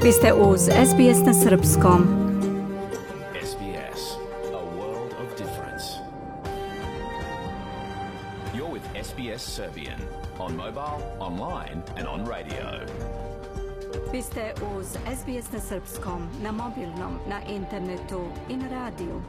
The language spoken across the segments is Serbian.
Vi ste uz SBS na srpskom. SBS, a world of difference. You're with SBS Serbian on mobile, online and on radio. Vi ste uz SBS na srpskom, na mobilnom, na internetu i na radiju.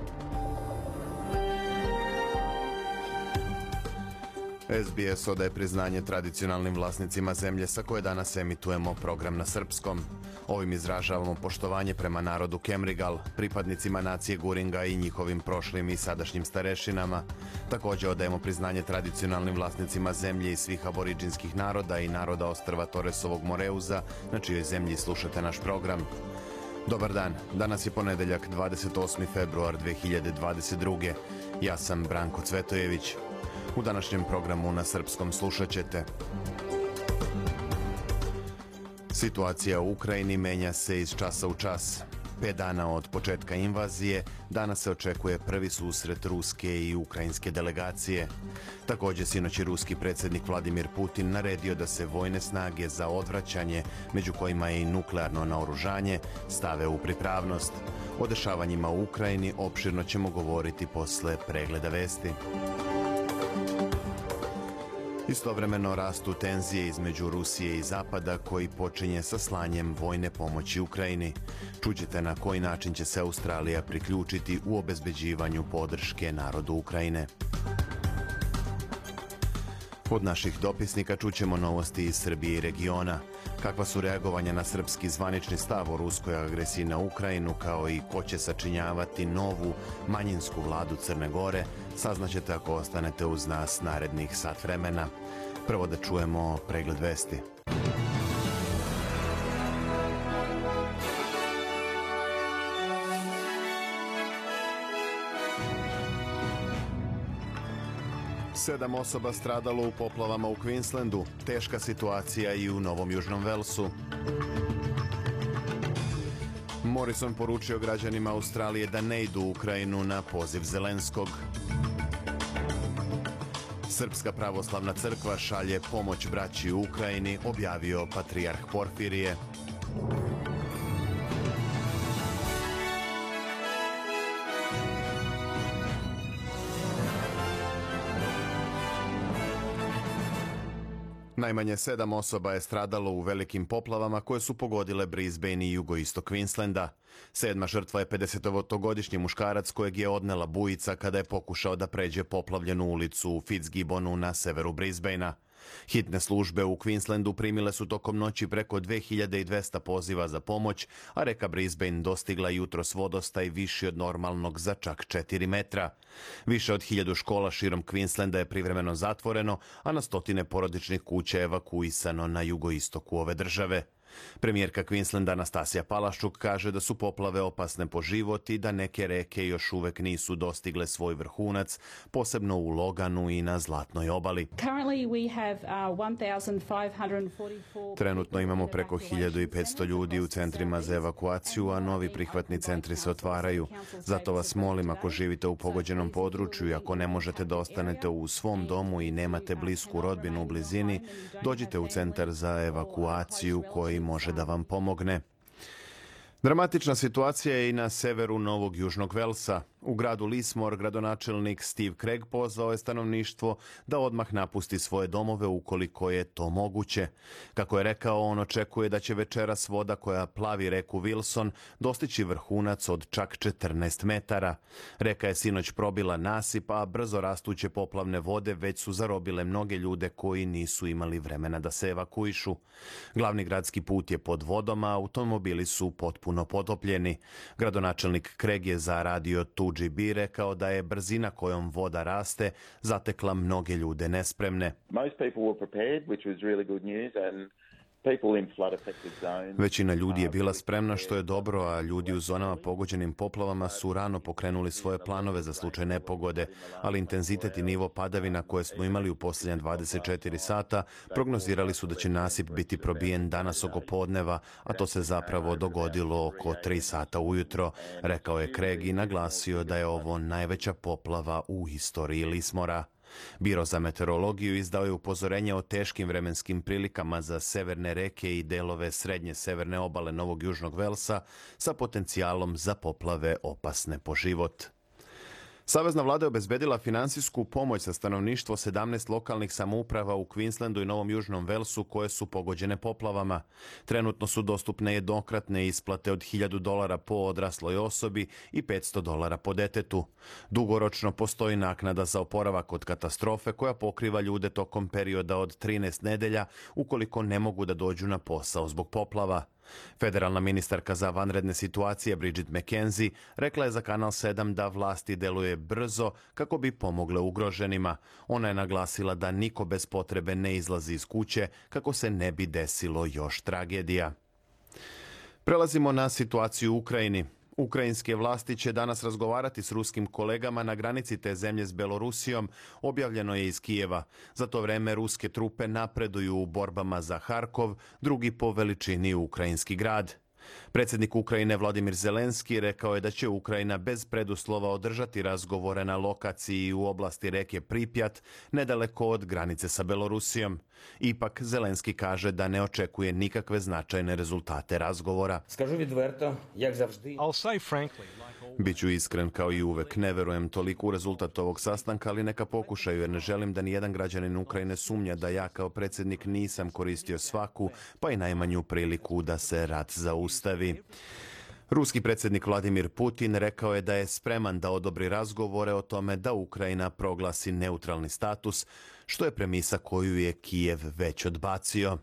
SBS odaje priznanje tradicionalnim vlasnicima zemlje sa koje danas emitujemo program na srpskom. Ovim izražavamo poštovanje prema narodu Kemrigal, pripadnicima nacije Guringa i njihovim prošlim i sadašnjim starešinama. Također odajemo priznanje tradicionalnim vlasnicima zemlje i svih aboriđinskih naroda i naroda ostrva Torresovog Moreuza, na čijoj zemlji slušate naš program. Dobar dan, danas je ponedeljak 28. februar 2022. Ja sam Branko Cvetojević. U današnjem programu na srpskom slušat ćete: situacija u Ukrajini menja se iz časa u čas. 5 dana od početka invazije, danas se očekuje prvi susret ruske i ukrajinske delegacije. Također sinoć je ruski predsjednik Vladimir Putin naredio da se vojne snage za odvraćanje, među kojima je i nuklearno naoružanje, stave u pripravnost. O dešavanjima u Ukrajini opširno ćemo govoriti posle pregleda vesti. Istovremeno rastu tenzije između Rusije i Zapada, koji počinje sa slanjem vojne pomoći Ukrajini. Čućete na koji način će se Australija priključiti u obezbeđivanju podrške narodu Ukrajine. Od naših dopisnika čućemo novosti iz Srbije i regiona. Kakva su reagovanja na srpski zvanični stav o ruskoj agresiji na Ukrajinu, kao i ko će sačinjavati novu manjinsku vladu Crne Gore, saznaćete ako ostanete uz nas narednih sat vremena. Prvo da čujemo pregled vesti. Sedam osoba stradalo u poplavama u Queenslandu, teška situacija i u Novom Južnom Velsu. Morrison poručio građanima Australije da ne idu u Ukrajinu na poziv Zelenskog. Srpska pravoslavna crkva šalje pomoć braći u Ukrajini, objavio patrijarh Porfirije. Najmanje 7 osoba je stradalo u velikim poplavama koje su pogodile Brisbane i jugoistok Queenslanda. 7. žrtva je 50-godišnji muškarac kojeg je odnela bujica kada je pokušao da pređe poplavljenu ulicu u Fitzgibbonu na severu Brisbanea. Hitne službe u Queenslandu primile su tokom noći preko 2200 poziva za pomoć, a reka Brisbane dostigla jutros vodostaj viši od normalnog za čak 4 metra. Više od 1000 škola širom Queenslanda je privremeno zatvoreno, a na stotine porodičnih kuća je evakuisano na jugoistoku ove države. Premijerka Queenslanda Anastasija Palaščuk kaže da su poplave opasne po život i da neke reke još uvek nisu dostigle svoj vrhunac, posebno u Loganu i na Zlatnoj obali. Trenutno imamo preko 1500 ljudi u centrima za evakuaciju, a novi prihvatni centri se otvaraju. Zato vas molim, ako živite u pogođenom području i ako ne možete da ostanete u svom domu i nemate blisku rodbinu u blizini, dođite u centar za evakuaciju koji može da vam pomogne. Dramatična situacija je i na severu Novog Južnog Velsa. U gradu Lismore gradonačelnik Steve Craig pozvao je stanovništvo da odmah napusti svoje domove ukoliko je to moguće. Kako je rekao, on očekuje da će večeras voda koja plavi reku Wilson dostići vrhunac od čak 14 metara. Reka je sinoć probila nasip, a brzo rastuće poplavne vode već su zarobile mnoge ljude koji nisu imali vremena da se evakuišu. Glavni gradski put je pod vodom, a automobili su potpuno potopljeni. Gradonačelnik Craig je za radio 2GB rekao da je brzina kojom voda raste zatekla mnoge ljude nespremne. Većina ljudi je bila spremna, što je dobro, a ljudi u zonama pogođenim poplavama su rano pokrenuli svoje planove za slučaj nepogode, ali intenzitet i nivo padavina koje smo imali u posljednja 24 sata prognozirali su da će nasip biti probijen danas oko podneva, a to se zapravo dogodilo oko 3 sata ujutro, rekao je Craig i naglasio da je ovo najveća poplava u istoriji Lismora. Biro za meteorologiju izdao je upozorenje o teškim vremenskim prilikama za severne reke i delove srednje severne obale Novog Južnog Velsa sa potencijalom za poplave opasne po život. Savezna vlada je obezbedila finansijsku pomoć za stanovništvo 17 lokalnih samouprava u Queenslandu i Novom Južnom Velsu koje su pogođene poplavama. Trenutno su dostupne jednokratne isplate od $1.000 po odrasloj osobi i $500 po detetu. Dugoročno postoji naknada za oporavak od katastrofe koja pokriva ljude tokom perioda od 13 nedelja ukoliko ne mogu da dođu na posao zbog poplava. Federalna ministarka za vanredne situacije Bridget McKenzie rekla je za Kanal 7 da vlasti deluje brzo kako bi pomogle ugroženima. Ona je naglasila da niko bez potrebe ne izlazi iz kuće kako se ne bi desilo još tragedija. Prelazimo na situaciju u Ukrajini. Ukrajinske vlasti će danas razgovarati s ruskim kolegama na granici te zemlje s Belorusijom, objavljeno je iz Kijeva. Za to vreme ruske trupe napreduju u borbama za Harkov, drugi po veličini ukrajinski grad. Predsjednik Ukrajine Vladimir Zelenski rekao je da će Ukrajina bez preduslova održati razgovore na lokaciji u oblasti reke Pripjat, nedaleko od granice sa Belorusijom. Ipak Zelenski kaže da ne očekuje nikakve značajne rezultate razgovora. Biću iskren kao i uvek, ne verujem toliko u rezultat ovog sastanka, ali neka pokušaju jer ne želim da nijedan građanin Ukrajine sumnja da ja kao predsjednik nisam koristio svaku, pa i najmanju priliku da se rat zaustavi. Ruski predsjednik Vladimir Putin rekao je da je spreman da odobri razgovore o tome da Ukrajina proglasi neutralni status, što je premisa koju je Kijev već odbacio.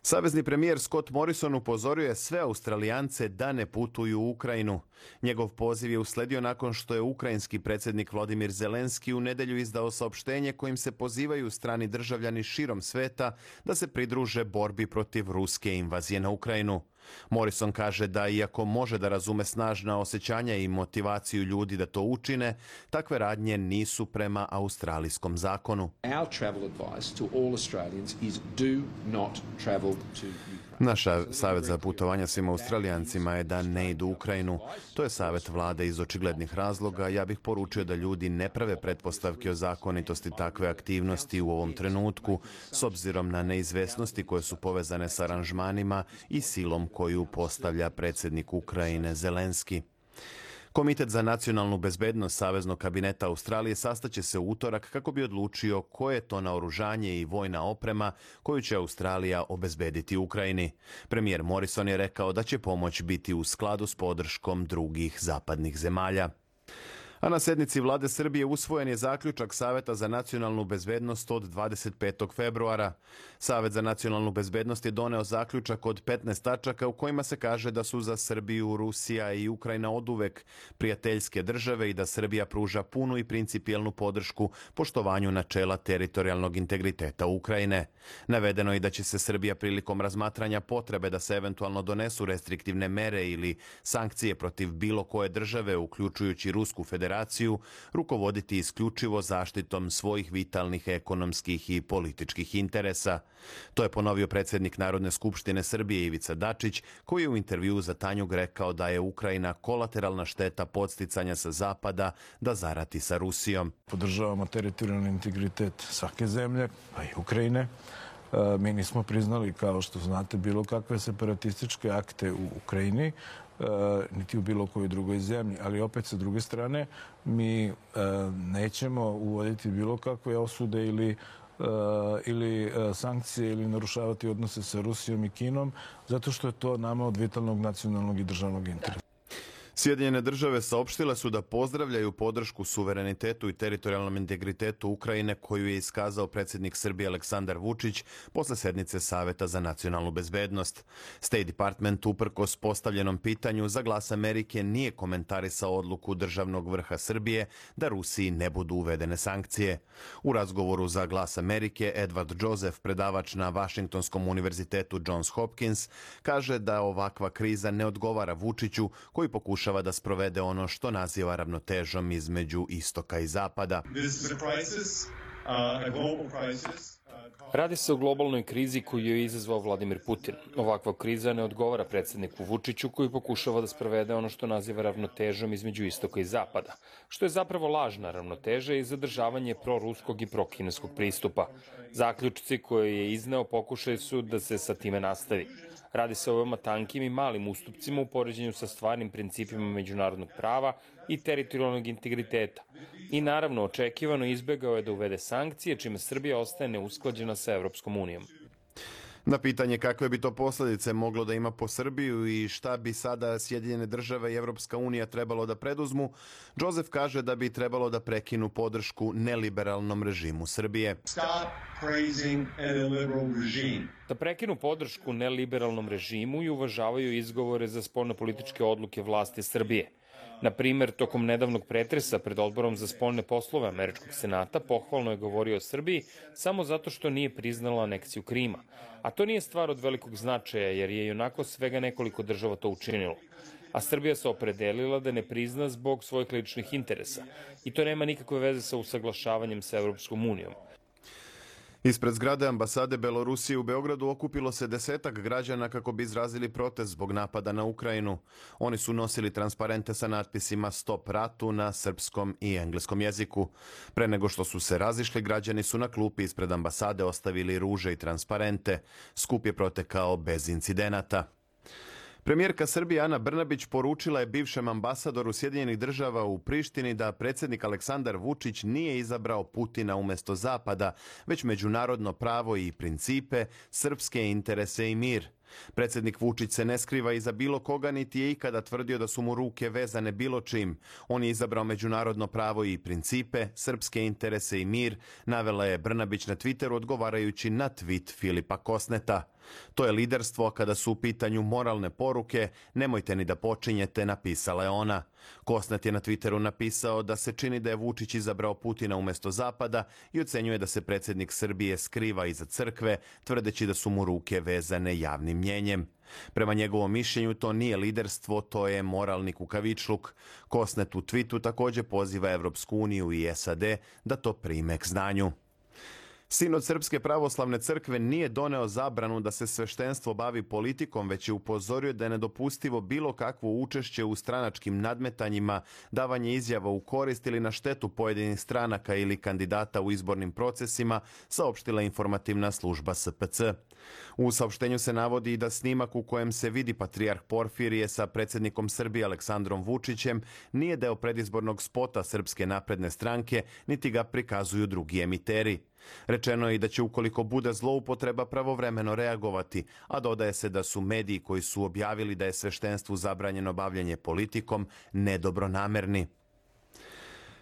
Savezni premijer Scott Morrison upozorio je sve Australijance da ne putuju u Ukrajinu. Njegov poziv je usledio nakon što je ukrajinski predsjednik Vladimir Zelenski u nedjelju izdao saopštenje kojim se pozivaju strani državljani širom sveta da se pridruže borbi protiv ruske invazije na Ukrajinu. Morrison kaže da iako može da razume snažna osjećanja i motivaciju ljudi da to učine, takve radnje nisu prema australijskom zakonu. Naš savjet za putovanja svim Australijancima je da ne idu u Ukrajinu. To je savjet vlade iz očiglednih razloga. Ja bih poručio da ljudi ne prave pretpostavke o zakonitosti takve aktivnosti u ovom trenutku, s obzirom na neizvesnosti koje su povezane s aranžmanima i silom koju postavlja predsjednik Ukrajine Zelenski. Komitet za nacionalnu bezbednost Saveznog kabineta Australije sastaće se u utorak kako bi odlučio koje je to naoružanje i vojna oprema koju će Australija obezbediti Ukrajini. Premijer Morrison je rekao da će pomoć biti u skladu s podrškom drugih zapadnih zemalja. A na sjednici vlade Srbije usvojen je zaključak Saveta za nacionalnu bezbednost od 25. februara. Savet za nacionalnu bezbednost je doneo zaključak od 15 tačaka u kojima se kaže da su za Srbiju, Rusija i Ukrajina oduvek prijateljske države i da Srbija pruža punu i principijelnu podršku poštovanju načela teritorijalnog integriteta Ukrajine. Navedeno je da će se Srbija prilikom razmatranja potrebe da se eventualno donesu restriktivne mere ili sankcije protiv bilo koje države, uključujući Rusku federaciju, rukovoditi isključivo zaštitom svojih vitalnih ekonomskih i političkih interesa. To je ponovio predsjednik Narodne skupštine Srbije Ivica Dačić, koji je u intervjuu za Tanjug rekao da je Ukrajina kolateralna šteta podsticanja sa zapada da zarati sa Rusijom. Podržavamo teritorijalni integritet svake zemlje, pa i Ukrajine. Mi nismo priznali, kao što znate, bilo kakve separatističke akte u Ukrajini, niti u bilo kojoj drugoj zemlji. Ali opet, sa druge strane, mi nećemo uvoditi bilo kakve osude ili sankcije ili narušavati odnose sa Rusijom i Kinom, zato što je to nama od vitalnog nacionalnog i državnog interesa. Sjedinjene države saopštile su da pozdravljaju podršku suverenitetu i teritorijalnom integritetu Ukrajine koju je iskazao predsjednik Srbije Aleksandar Vučić posle sednice Saveta za nacionalnu bezbednost. State Department uprkos postavljenom pitanju za Glas Amerike nije komentarisao odluku državnog vrha Srbije da Rusiji ne budu uvedene sankcije. U razgovoru za Glas Amerike Edward Joseph, predavač na Vašingtonskom univerzitetu Johns Hopkins, kaže da ovakva kriza ne odgovara Vučiću koji pokušava da sprovede ono što naziva ravnotežom između istoka i zapada. Radi se o globalnoj krizi koju je izazvao Vladimir Putin. Ovakva kriza ne odgovara predsjedniku Vučiću koji pokušava da sprovede ono što naziva ravnotežom između istoka i zapada, što je zapravo lažna ravnoteža i zadržavanje proruskog i prokineskog pristupa. Zaključci koje je izneo pokušaj su da se sa time nastavi. Radi se o veoma tankim i malim ustupcima u poređenju sa stvarnim principima međunarodnog prava i teritorijalnog integriteta. I naravno, očekivano izbegao je da uvede sankcije, čime Srbija ostaje neusklađena sa Evropskom unijom. Na pitanje kakve bi to posljedice moglo da ima po Srbiju i šta bi sada Sjedinjene države i Evropska unija trebalo da preduzmu, Joseph kaže da bi trebalo da prekinu podršku neliberalnom režimu Srbije. Da prekinu podršku neliberalnom režimu i uvažavaju izgovore za spoljnopolitičke odluke vlasti Srbije. Na primer, tokom nedavnog pretresa pred Odborom za spoljne poslove Američkog senata pohvalno je govorio o Srbiji samo zato što nije priznala aneksiju Krima. A to nije stvar od velikog značaja jer je onako svega nekoliko država to učinilo. A Srbija se opredelila da ne prizna zbog svojih ličnih interesa. I to nema nikakve veze sa usaglašavanjem sa Evropskom unijom. Ispred zgrade ambasade Belorusije u Beogradu okupilo se 10-ak građana kako bi izrazili protest zbog napada na Ukrajinu. Oni su nosili transparente sa natpisima Stop ratu na srpskom i engleskom jeziku. Pre nego što su se razišli, građani su na klupi ispred ambasade ostavili ruže i transparente. Skup je protekao bez incidenata. Premijerka Srbije Ana Brnabić poručila je bivšem ambasadoru Sjedinjenih država u Prištini da predsjednik Aleksandar Vučić nije izabrao Putina umjesto Zapada, već međunarodno pravo i principe, srpske interese i mir. Predsjednik Vučić se ne skriva iza bilo koga niti je ikada tvrdio da su mu ruke vezane bilo čim. On je izabrao međunarodno pravo i principe, srpske interese i mir, navela je Brnabić na Twitteru odgovarajući na tweet Filipa Kosneta. To je liderstvo kada su u pitanju moralne poruke, nemojte ni da počinjete, napisala je ona. Kosnet je na Twitteru napisao da se čini da je Vučić izabrao Putina umjesto Zapada i ocenjuje da se predsjednik Srbije skriva iza crkve, tvrdeći da su mu ruke vezane javnim mnjenjem. Prema njegovom mišljenju to nije liderstvo, to je moralni kukavičluk. Kosnet u tweetu također poziva Evropsku uniju i SAD da to prime k znanju. Sinod Srpske pravoslavne crkve nije doneo zabranu da se sveštenstvo bavi politikom, već je upozorio da je nedopustivo bilo kakvo učešće u stranačkim nadmetanjima, davanje izjava u korist ili na štetu pojedinih stranaka ili kandidata u izbornim procesima, saopštila informativna služba SPC. U saopštenju se navodi i da snimak u kojem se vidi patrijarh Porfirije sa predsjednikom Srbije Aleksandrom Vučićem nije deo predizbornog spota Srpske napredne stranke, niti ga prikazuju drugi emiteri. Rečeno je i da će ukoliko bude zloupotreba pravovremeno reagovati, a dodaje se da su mediji koji su objavili da je sveštenstvu zabranjeno bavljenje politikom nedobronamerni.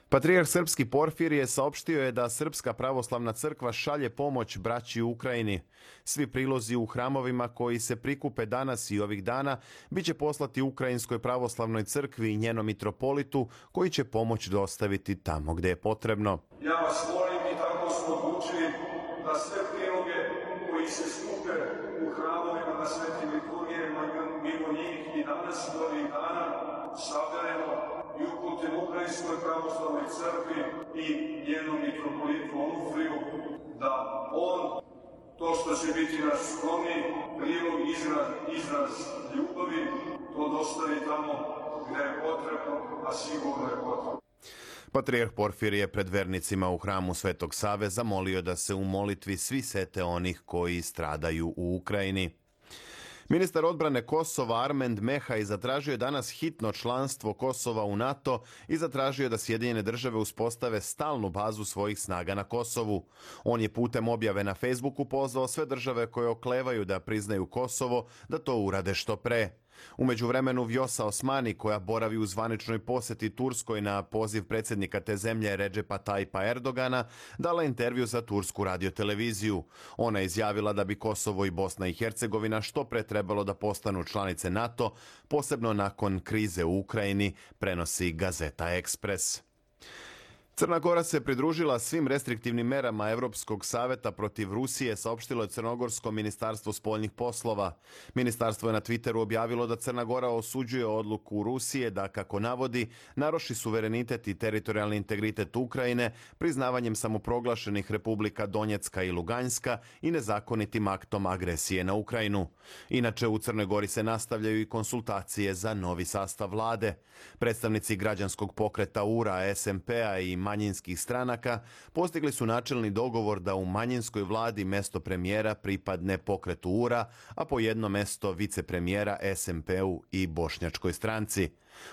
Patrijarh srpski Porfirije saopštio je da Srpska pravoslavna crkva šalje pomoć braći u Ukrajini. Svi prilozi u hramovima koji se prikupe danas i ovih dana biće poslati Ukrajinskoj pravoslavnoj crkvi i njenom mitropolitu koji će pomoć dostaviti tamo gde je potrebno. Ja vas molim i tako smo odlučili da sve priloge koji se skupe u hramovima na svetim liturgijama mimo njih i danas do ovih dana saberemo i uputimo Ukrajinskoj pravoslavnoj crkvi i njenom mitropolitu Onufriju da on, to što će biti naš skromni prilog, izraz ljubavi, to dostavi tamo gde je potrebno, a sigurno je potrebno. Patrijarh Porfirije pred vernicima u hramu Svetog Save zamolio da se u molitvi svi sete onih koji stradaju u Ukrajini. Ministar odbrane Kosova Armend Mehaj zatražio je danas hitno članstvo Kosova u NATO i zatražio da Sjedinjene države uspostave stalnu bazu svojih snaga na Kosovu. On je putem objave na Facebooku pozvao sve države koje oklevaju da priznaju Kosovo da to urade što pre. U međuvremenu Vjosa Osmani, koja boravi u zvaničnoj posjeti Turskoj na poziv predsjednika te zemlje Redžepa Tajpa Erdogana, dala intervju za tursku radioteleviziju. Ona je izjavila da bi Kosovo i Bosna i Hercegovina što pre trebalo da postanu članice NATO, posebno nakon krize u Ukrajini, prenosi Gazeta Ekspres. Crna Gora se pridružila svim restriktivnim merama Evropskog saveta protiv Rusije, saopštilo je Crnogorsko ministarstvo spoljnih poslova. Ministarstvo je na Twitteru objavilo da Crna Gora osuđuje odluku Rusije da, kako navodi, naruši suverenitet i teritorijalni integritet Ukrajine priznavanjem samoproglašenih republika Donjecka i Luganjska i nezakonitim aktom agresije na Ukrajinu. Inače, u Crnoj Gori se nastavljaju i konsultacije za novi sastav vlade. Predstavnici građanskog pokreta URA, SMP-a i manjinskih stranaka postigli su načelni dogovor da u manjinskoj vladi mesto premijera pripadne pokretu URA, a po jedno mesto vicepremijera SMP-u i Bošnjačkoj stranci.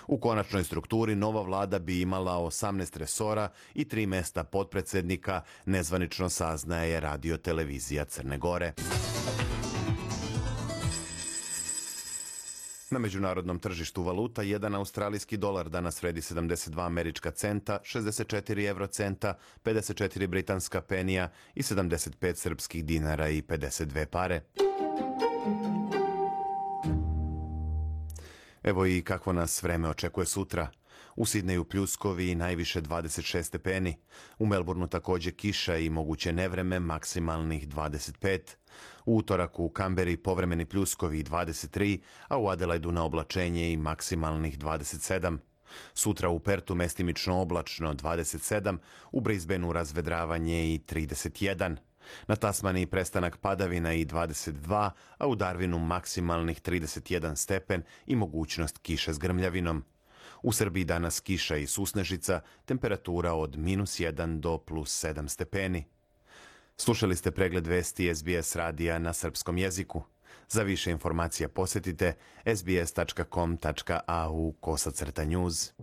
U konačnoj strukturi nova vlada bi imala 18 resora i 3 mesta potpredsednika, nezvanično saznaje Radio televizija Crne Gore. Na međunarodnom tržištu valuta, jedan australijski dolar danas vredi 72 američka centa, 64 eurocenta, 54 britanska penija i 75 srpskih dinara i 52 pare. Evo i kakvo nas vreme očekuje sutra. U Sidneju pljuskovi i najviše 26 stepeni. U Melbourneu također kiša i moguće nevreme, maksimalnih 25. U utorak u Kamberi povremeni pljuskovi i 23, a u Adelaidu na oblačenje i maksimalnih 27. Sutra u Pertu mestimično oblačno 27, u Brisbaneu razvedravanje i 31. Na Tasmaniji prestanak padavina i 22, a u Darwinu maksimalnih 31 stepen i mogućnost kiše s grmljavinom. U Srbiji danas kiša i susnežica, temperatura od -1 do +7 stepeni. Slušali ste pregled vesti SBS radija na srpskom jeziku. Za više informacija posjetite sbs.com.au/news.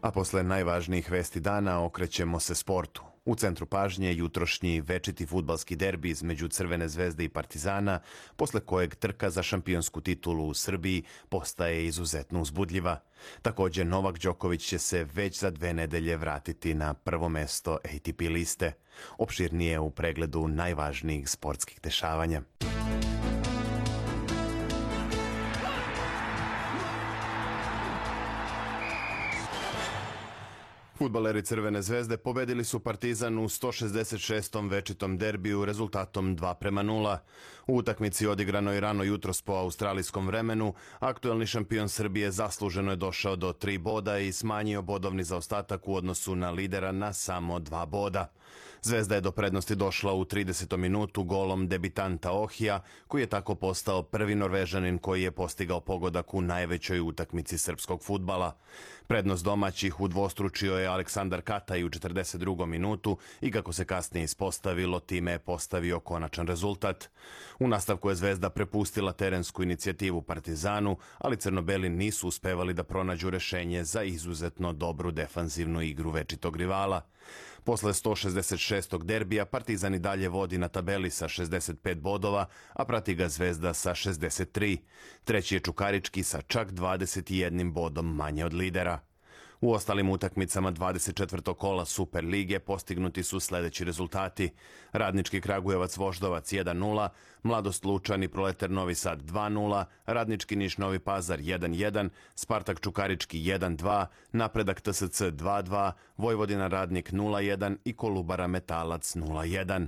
A posle najvažnijih vesti dana okrećemo se sportu. U centru pažnje jutrošnji večiti fudbalski derbi između Crvene zvezde i Partizana, posle kojeg trka za šampionsku titulu u Srbiji postaje izuzetno uzbudljiva. Također Novak Đoković će se već za 2 nedelje vratiti na prvo mesto ATP liste. Opširnije u pregledu najvažnijih sportskih dešavanja. Fudbaleri Crvene zvezde pobedili su Partizan u 166. večitom derbiju rezultatom 2:0. U utakmici odigranoj rano jutros po australijskom vremenu, aktuelni šampion Srbije zasluženo je došao do 3 boda i smanjio bodovni zaostatak u odnosu na lidera na samo 2 boda. Zvezda je do prednosti došla u 30. minutu golom debitanta Ohija, koji je tako postao prvi Norvežanin koji je postigao pogodak u najvećoj utakmici srpskog fudbala. Prednost domaćih udvostručio je Aleksandar Kataj u 42. minutu i kako se kasnije ispostavilo, time je postavio konačan rezultat. U nastavku je Zvezda prepustila terensku inicijativu Partizanu, ali crnobeli nisu uspevali da pronađu rešenje za izuzetno dobru defanzivnu igru večitog rivala. Posle 166. derbija Partizan i dalje vodi na tabeli sa 65 bodova, a prati ga Zvezda sa 63. Treći je Čukarički sa čak 21 bodom manje od lidera. U ostalim utakmicama 24. kola Super lige postignuti su sledeći rezultati. Radnički Kragujevac Voždovac 1:0, Mladost Lučan i Proletar Novi Sad 2:0, Radnički Niš Novi Pazar 1:1, Spartak Čukarički 1:2, Napredak TSC 2:2, Vojvodina Radnik 0:1 i Kolubara Metalac 0:1.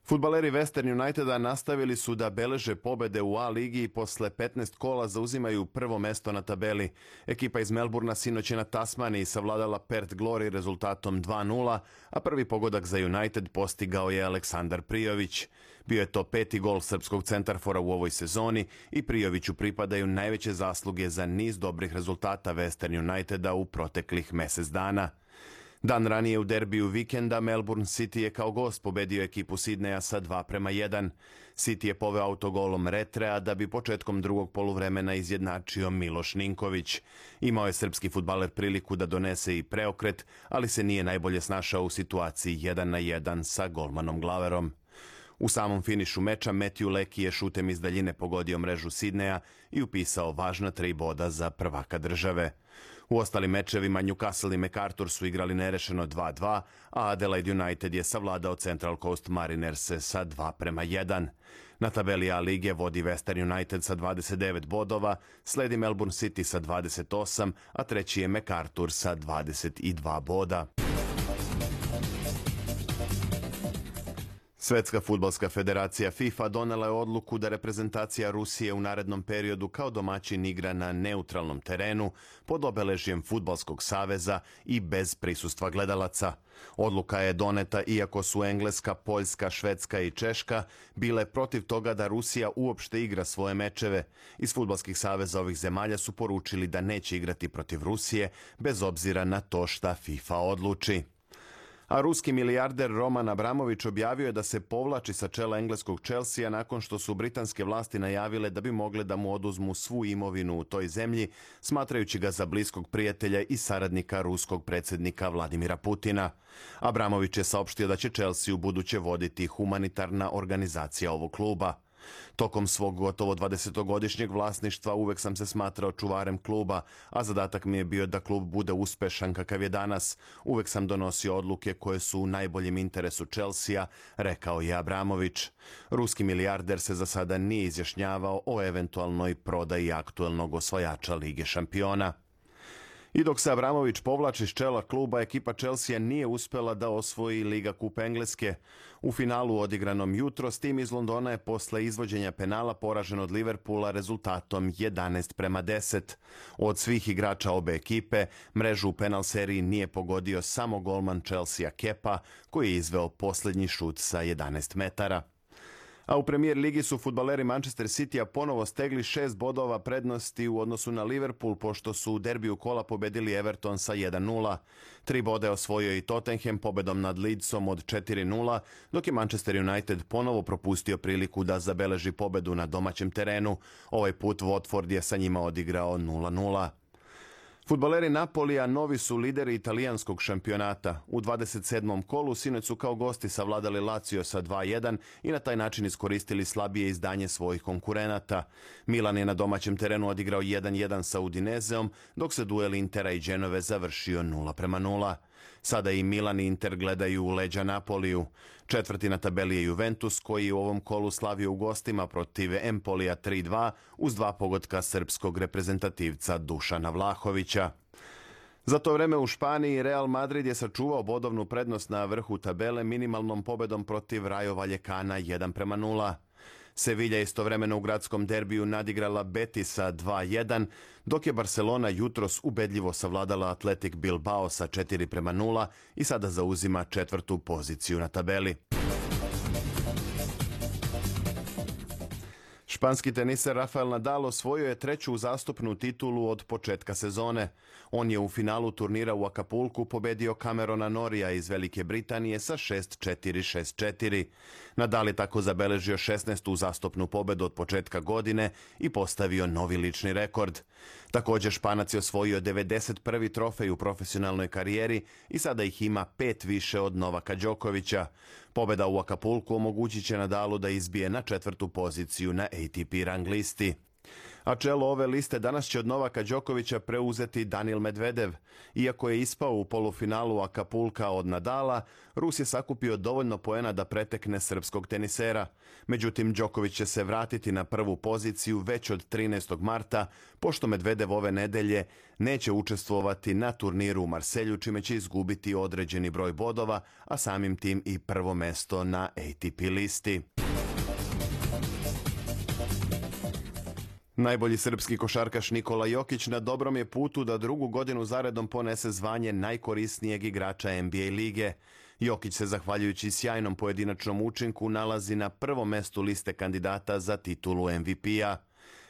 Fudbaleri Western Uniteda nastavili su da beleže pobede u A ligi i posle 15 kola zauzimaju prvo mesto na tabeli. Ekipa iz Melbourna sinoć je na Tasmaniji savladala Perth Glory rezultatom 2:0, a prvi pogodak za United postigao je Aleksandar Prijović. Bio je to 5. gol srpskog centarfora u ovoj sezoni i Prijoviću pripadaju najveće zasluge za niz dobrih rezultata Western Uniteda u proteklih mesec dana. Dan ranije u derbiju vikenda Melbourne City je kao gost pobedio ekipu Sidneja sa 2:1. City je poveo autogolom Retrea da bi početkom drugog poluvremena izjednačio Miloš Ninković. Imao je srpski fudbaler priliku da donese i preokret, ali se nije najbolje snašao u situaciji 1:1 sa golmanom Glaverom. U samom finišu meča Matthew Leckie je šutem iz daljine pogodio mrežu Sidneja i upisao važna 3 boda za prvaka države. U ostalim mečevima Newcastle i MacArthur su igrali nerešeno 2-2, a Adelaide United je savladao Central Coast Mariners sa 2-1. Na tabeli A lige vodi Western United sa 29 bodova, sledi Melbourne City sa 28, a treći je MacArthur sa 22 boda. Svetska fudbalska federacija FIFA donela je odluku da reprezentacija Rusije u narednom periodu kao domaćin igra na neutralnom terenu pod obeležjem Fudbalskog saveza i bez prisustva gledalaca. Odluka je doneta iako su Engleska, Poljska, Švedska i Češka bile protiv toga da Rusija uopšte igra svoje mečeve. Iz fudbalskih saveza ovih zemalja su poručili da neće igrati protiv Rusije bez obzira na to šta FIFA odluči. A ruski milijarder Roman Abramović objavio je da se povlači sa čela engleskog Chelsea nakon što su britanske vlasti najavile da bi mogle da mu oduzmu svu imovinu u toj zemlji, smatrajući ga za bliskog prijatelja i saradnika ruskog predsjednika Vladimira Putina. Abramović je saopštio da će Chelsea u buduće voditi humanitarna organizacija ovog kluba. Tokom svog gotovo 20-godišnjeg vlasništva uvek sam se smatrao čuvarem kluba, a zadatak mi je bio da klub bude uspešan kakav je danas. Uvek sam donosio odluke koje su u najboljem interesu Chelsea, rekao je Abramović. Ruski milijarder se za sada nije izjašnjavao o eventualnoj prodaji aktuelnog osvajača Lige šampiona. I dok se Abramović povlači s čela kluba, ekipa Chelsea nije uspela da osvoji Liga kup Engleske. U finalu odigranom jutros tim iz Londona je posle izvođenja penala poražen od Liverpoola rezultatom 11-10. Od svih igrača obe ekipe, mrežu u penal seriji nije pogodio samo golman Chelsea Kepa, koji je izveo posljednji šut sa 11 metara. A u Premier ligi su fudbaleri Manchester Citya ponovo stegli 6 bodova prednosti u odnosu na Liverpool, pošto su u derbiju kola pobedili Everton sa 1-0. 3 bode osvojio i Tottenham pobedom nad Leedsom od 4-0, dok je Manchester United ponovo propustio priliku da zabeleži pobedu na domaćem terenu. Ovaj put Watford je sa njima odigrao 0-0. Fudbaleri Napolija novi su lideri italijanskog šampionata. U 27. kolu sinoć su kao gosti savladali Lazio sa 2-1 i na taj način iskoristili slabije izdanje svojih konkurenata. Milan je na domaćem terenu odigrao 1-1 sa Udinezeom, dok se duel Intera i Genove završio 0-0. Sada i Milan i Inter gledaju u leđa Napoliju. Četvrti na tabeli je Juventus, koji je u ovom kolu slavio u gostima protiv Empolija 3-2 uz 2 pogotka srpskog reprezentativca Dušana Vlahovića. Za to vreme u Španiji Real Madrid je sačuvao bodovnu prednost na vrhu tabele minimalnom pobedom protiv Rayo Vallecana 1-0. Sevilla istovremeno u gradskom derbiju nadigrala Betisa 2-1, dok je Barcelona jutros ubedljivo savladala Athletic Bilbao sa 4-0 i sada zauzima 4. poziciju na tabeli. Španski teniser Rafael Nadal osvojio je 3. uzastopnu titulu od početka sezone. On je u finalu turnira u Acapulcu pobedio Camerona Norrija iz Velike Britanije sa 6-4, 6-4. Nadal je tako zabeležio 16. uzastopnu pobedu od početka godine i postavio novi lični rekord. Također Španac je osvojio 91. trofej u profesionalnoj karijeri i sada ih ima 5 više od Novaka Đokovića. Pobeda u Acapulcu omogućit će Nadalu da izbije na 4. poziciju na ATP rang listi. A čelo ove liste danas će od Novaka Đokovića preuzeti Danil Medvedev. Iako je ispao u polufinalu Acapulca od Nadala, Rus je sakupio dovoljno poena da pretekne srpskog tenisera. Međutim, Đoković će se vratiti na prvu poziciju već od 13. marta, pošto Medvedev ove nedelje neće učestvovati na turniru u Marselju, čime će izgubiti određeni broj bodova, a samim tim i prvo mesto na ATP listi. Najbolji srpski košarkaš Nikola Jokić na dobrom je putu da 2. godinu zaredom ponese zvanje najkorisnijeg igrača NBA lige. Jokić se, zahvaljujući sjajnom pojedinačnom učinku, nalazi na prvom mestu liste kandidata za titulu MVP-a.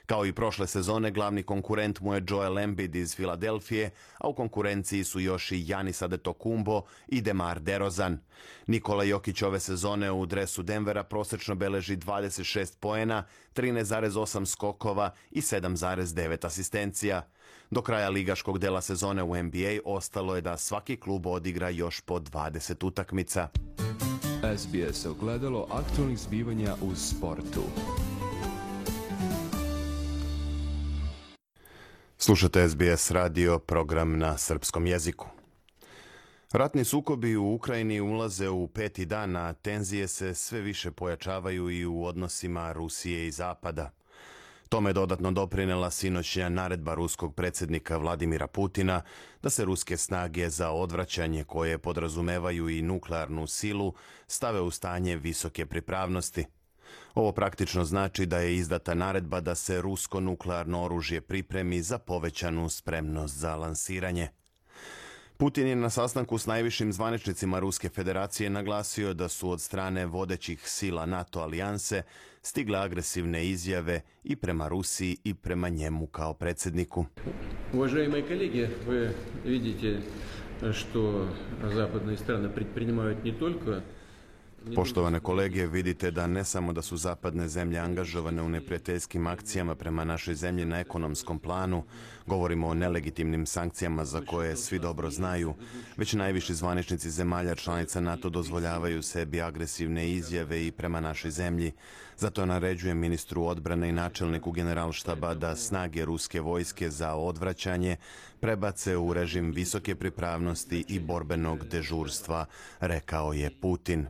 Kao i prošle sezone, glavni konkurent mu je Joel Embiid iz Filadelfije, a u konkurenciji su još i Giannis Antetokounmpo i DeMar DeRozan. Nikola Jokić ove sezone u dresu Denvera prosečno beleži 26 poena, 13,8 skokova i 7,9 asistencija. Do kraja ligaškog dela sezone u NBA ostalo je da svaki klub odigra još po 20 utakmica. SBS ogledalo aktualnih zbivanja u sportu. Slušate SBS radio, program na srpskom jeziku. Ratni sukobi u Ukrajini ulaze u 5. dan, a tenzije se sve više pojačavaju i u odnosima Rusije i Zapada. Tome je dodatno doprinela sinoćnja naredba ruskog predsjednika Vladimira Putina da se ruske snage za odvraćanje, koje podrazumevaju i nuklearnu silu, stave u stanje visoke pripravnosti. Ovo praktično znači da je izdata naredba da se rusko nuklearno oružje pripremi za povećanu spremnost za lansiranje. Putin je na sastanku s najvišim zvaničnicima Ruske federacije naglasio da su od strane vodećih sila NATO alijanse stigle agresivne izjave i prema Rusiji i prema njemu kao predsjedniku. Уважаемые коллеги, вы видите, что западные страны предпринимают не только... Poštovane kolege, vidite da ne samo da su zapadne zemlje angažovane u neprijateljskim akcijama prema našoj zemlji na ekonomskom planu, govorimo o nelegitimnim sankcijama za koje svi dobro znaju, već najviši zvaničnici zemalja članica NATO dozvoljavaju sebi agresivne izjave i prema našoj zemlji. Zato naređuje ministru odbrane i načelniku generalštaba da snage ruske vojske za odvraćanje prebace u režim visoke pripravnosti i borbenog dežurstva, rekao je Putin.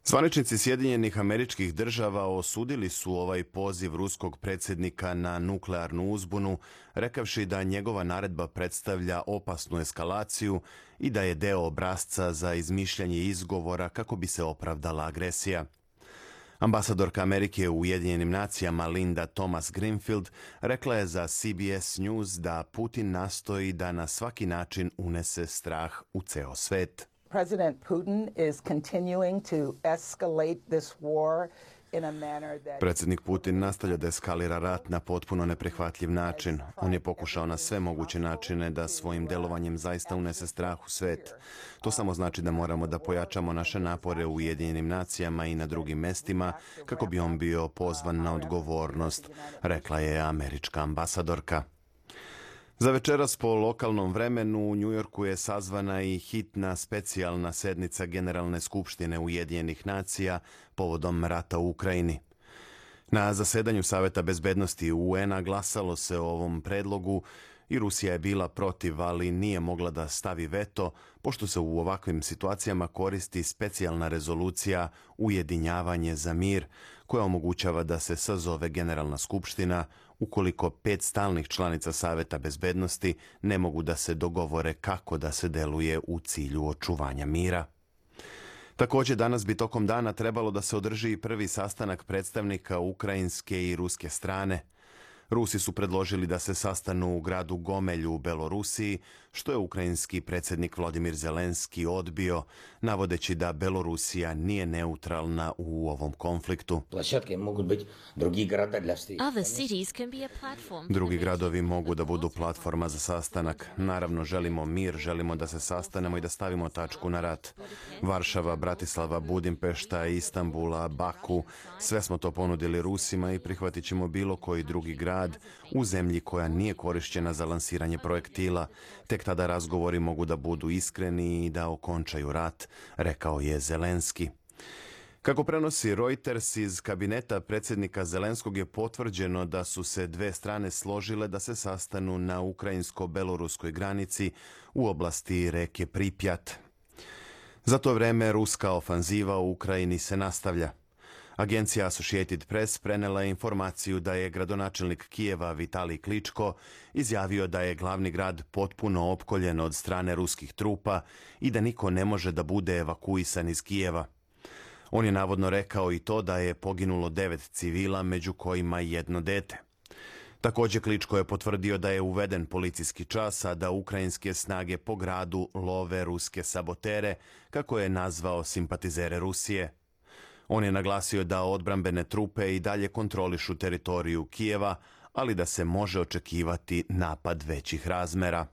Zvaničnici Sjedinjenih Američkih Država osudili su ovaj poziv ruskog predsjednika na nuklearnu uzbunu, rekavši da njegova naredba predstavlja opasnu eskalaciju i da je deo obrasca za izmišljanje izgovora kako bi se opravdala agresija. Ambasadorka Amerike u Ujedinjenim nacijama Linda Thomas-Greenfield rekla je za CBS News da Putin nastoji da na svaki način unese strah u ceo svet. President Putin is continuing to escalate this war in a manner that... Predsjednik Putin nastavlja da eskalira rat na potpuno neprihvatljiv način. On je pokušao na sve moguće načine da svojim delovanjem zaista unese strah u svet. To samo znači da moramo da pojačamo naše napore u Ujedinjenim nacijama i na drugim mestima kako bi on bio pozvan na odgovornost, rekla je američka ambasadorka. Za večeras po lokalnom vremenu u Njujorku je sazvana i hitna specijalna sednica Generalne skupštine Ujedinjenih nacija povodom rata u Ukrajini. Na zasedanju Saveta bezbednosti UN-a glasalo se o ovom predlogu i Rusija je bila protiv, ali nije mogla da stavi veto, pošto se u ovakvim situacijama koristi specijalna rezolucija Ujedinjavanje za mir, koja omogućava da se sazove Generalna skupština ukoliko 5 stalnih članica Saveta bezbednosti ne mogu da se dogovore kako da se deluje u cilju očuvanja mira. Također, danas bi tokom dana trebalo da se održi i prvi sastanak predstavnika ukrajinske i ruske strane. Rusi su predložili da se sastanu u gradu Gomelju u Belorusiji, što je ukrajinski predsjednik Volodymyr Zelenski odbio, navodeći da Belorusija nije neutralna u ovom konfliktu. Drugi gradovi mogu da budu platforma za sastanak. Naravno, želimo mir, želimo da se sastanemo i da stavimo tačku na rat. Varšava, Bratislava, Budimpešta, Istanbula, Baku, sve smo to ponudili Rusima i prihvatit ćemo bilo koji drugi grad u zemlji koja nije korišćena za lansiranje projektila. Tek tada razgovori mogu da budu iskreni i da okončaju rat, rekao je Zelenski. Kako prenosi Reuters, iz kabineta predsjednika Zelenskog je potvrđeno da su se dve strane složile da se sastanu na ukrajinsko-beloruskoj granici u oblasti reke Pripjat. Za to vreme ruska ofanziva u Ukrajini se nastavlja. Agencija Associated Press prenela je informaciju da je gradonačelnik Kijeva Vitalij Kličko izjavio da je glavni grad potpuno opkoljen od strane ruskih trupa i da niko ne može da bude evakuisan iz Kijeva. On je navodno rekao i to da je poginulo 9 civila, među kojima i jedno dete. Također Kličko je potvrdio da je uveden policijski čas, a da ukrajinske snage po gradu love ruske sabotere, kako je nazvao simpatizere Rusije. On je naglasio da odbrambene trupe i dalje kontrolišu teritoriju Kijeva, ali da se može očekivati napad većih razmera.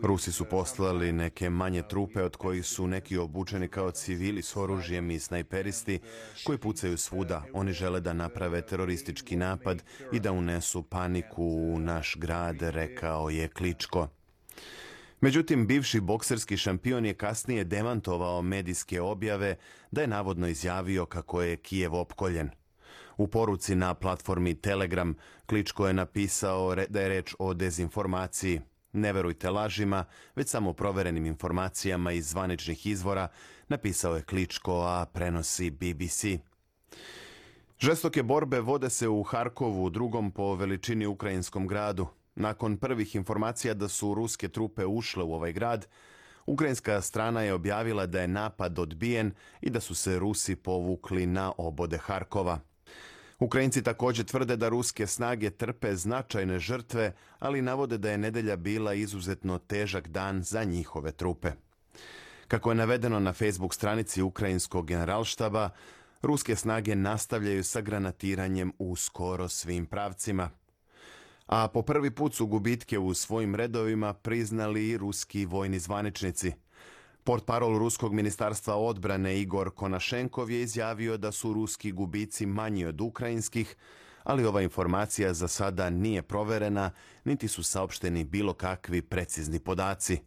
Rusi su poslali neke manje trupe od kojih su neki obučeni kao civili s oružjem i snajperisti koji pucaju svuda. Oni žele da naprave teroristički napad i da unesu paniku u naš grad, rekao je Kličko. Međutim, bivši bokserski šampion je kasnije demantovao medijske objave da je navodno izjavio kako je Kijev opkoljen. U poruci na platformi Telegram Kličko je napisao da je reč o dezinformaciji. Ne verujte lažima, već samo proverenim informacijama iz zvaničnih izvora, napisao je Kličko, a prenosi BBC. Žestoke borbe vode se u Harkovu, drugom po veličini ukrajinskom gradu. Nakon prvih informacija da su ruske trupe ušle u ovaj grad, ukrajinska strana je objavila da je napad odbijen i da su se Rusi povukli na obode Harkova. Ukrajinci također tvrde da ruske snage trpe značajne žrtve, ali navode da je nedjelja bila izuzetno težak dan za njihove trupe. Kako je navedeno na Facebook stranici ukrajinskog generalštaba, ruske snage nastavljaju sa granatiranjem u skoro svim pravcima. A po prvi put su gubitke u svojim redovima priznali i ruski vojni zvaničnici. Portparol Ruskog ministarstva odbrane Igor Konašenkov je izjavio da su ruski gubici manji od ukrajinskih, ali ova informacija za sada nije proverena, niti su saopšteni bilo kakvi precizni podaci.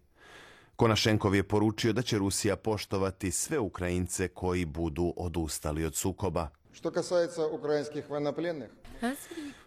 Konašenkov je poručio da će Rusija poštovati sve Ukrajince koji budu odustali od sukoba.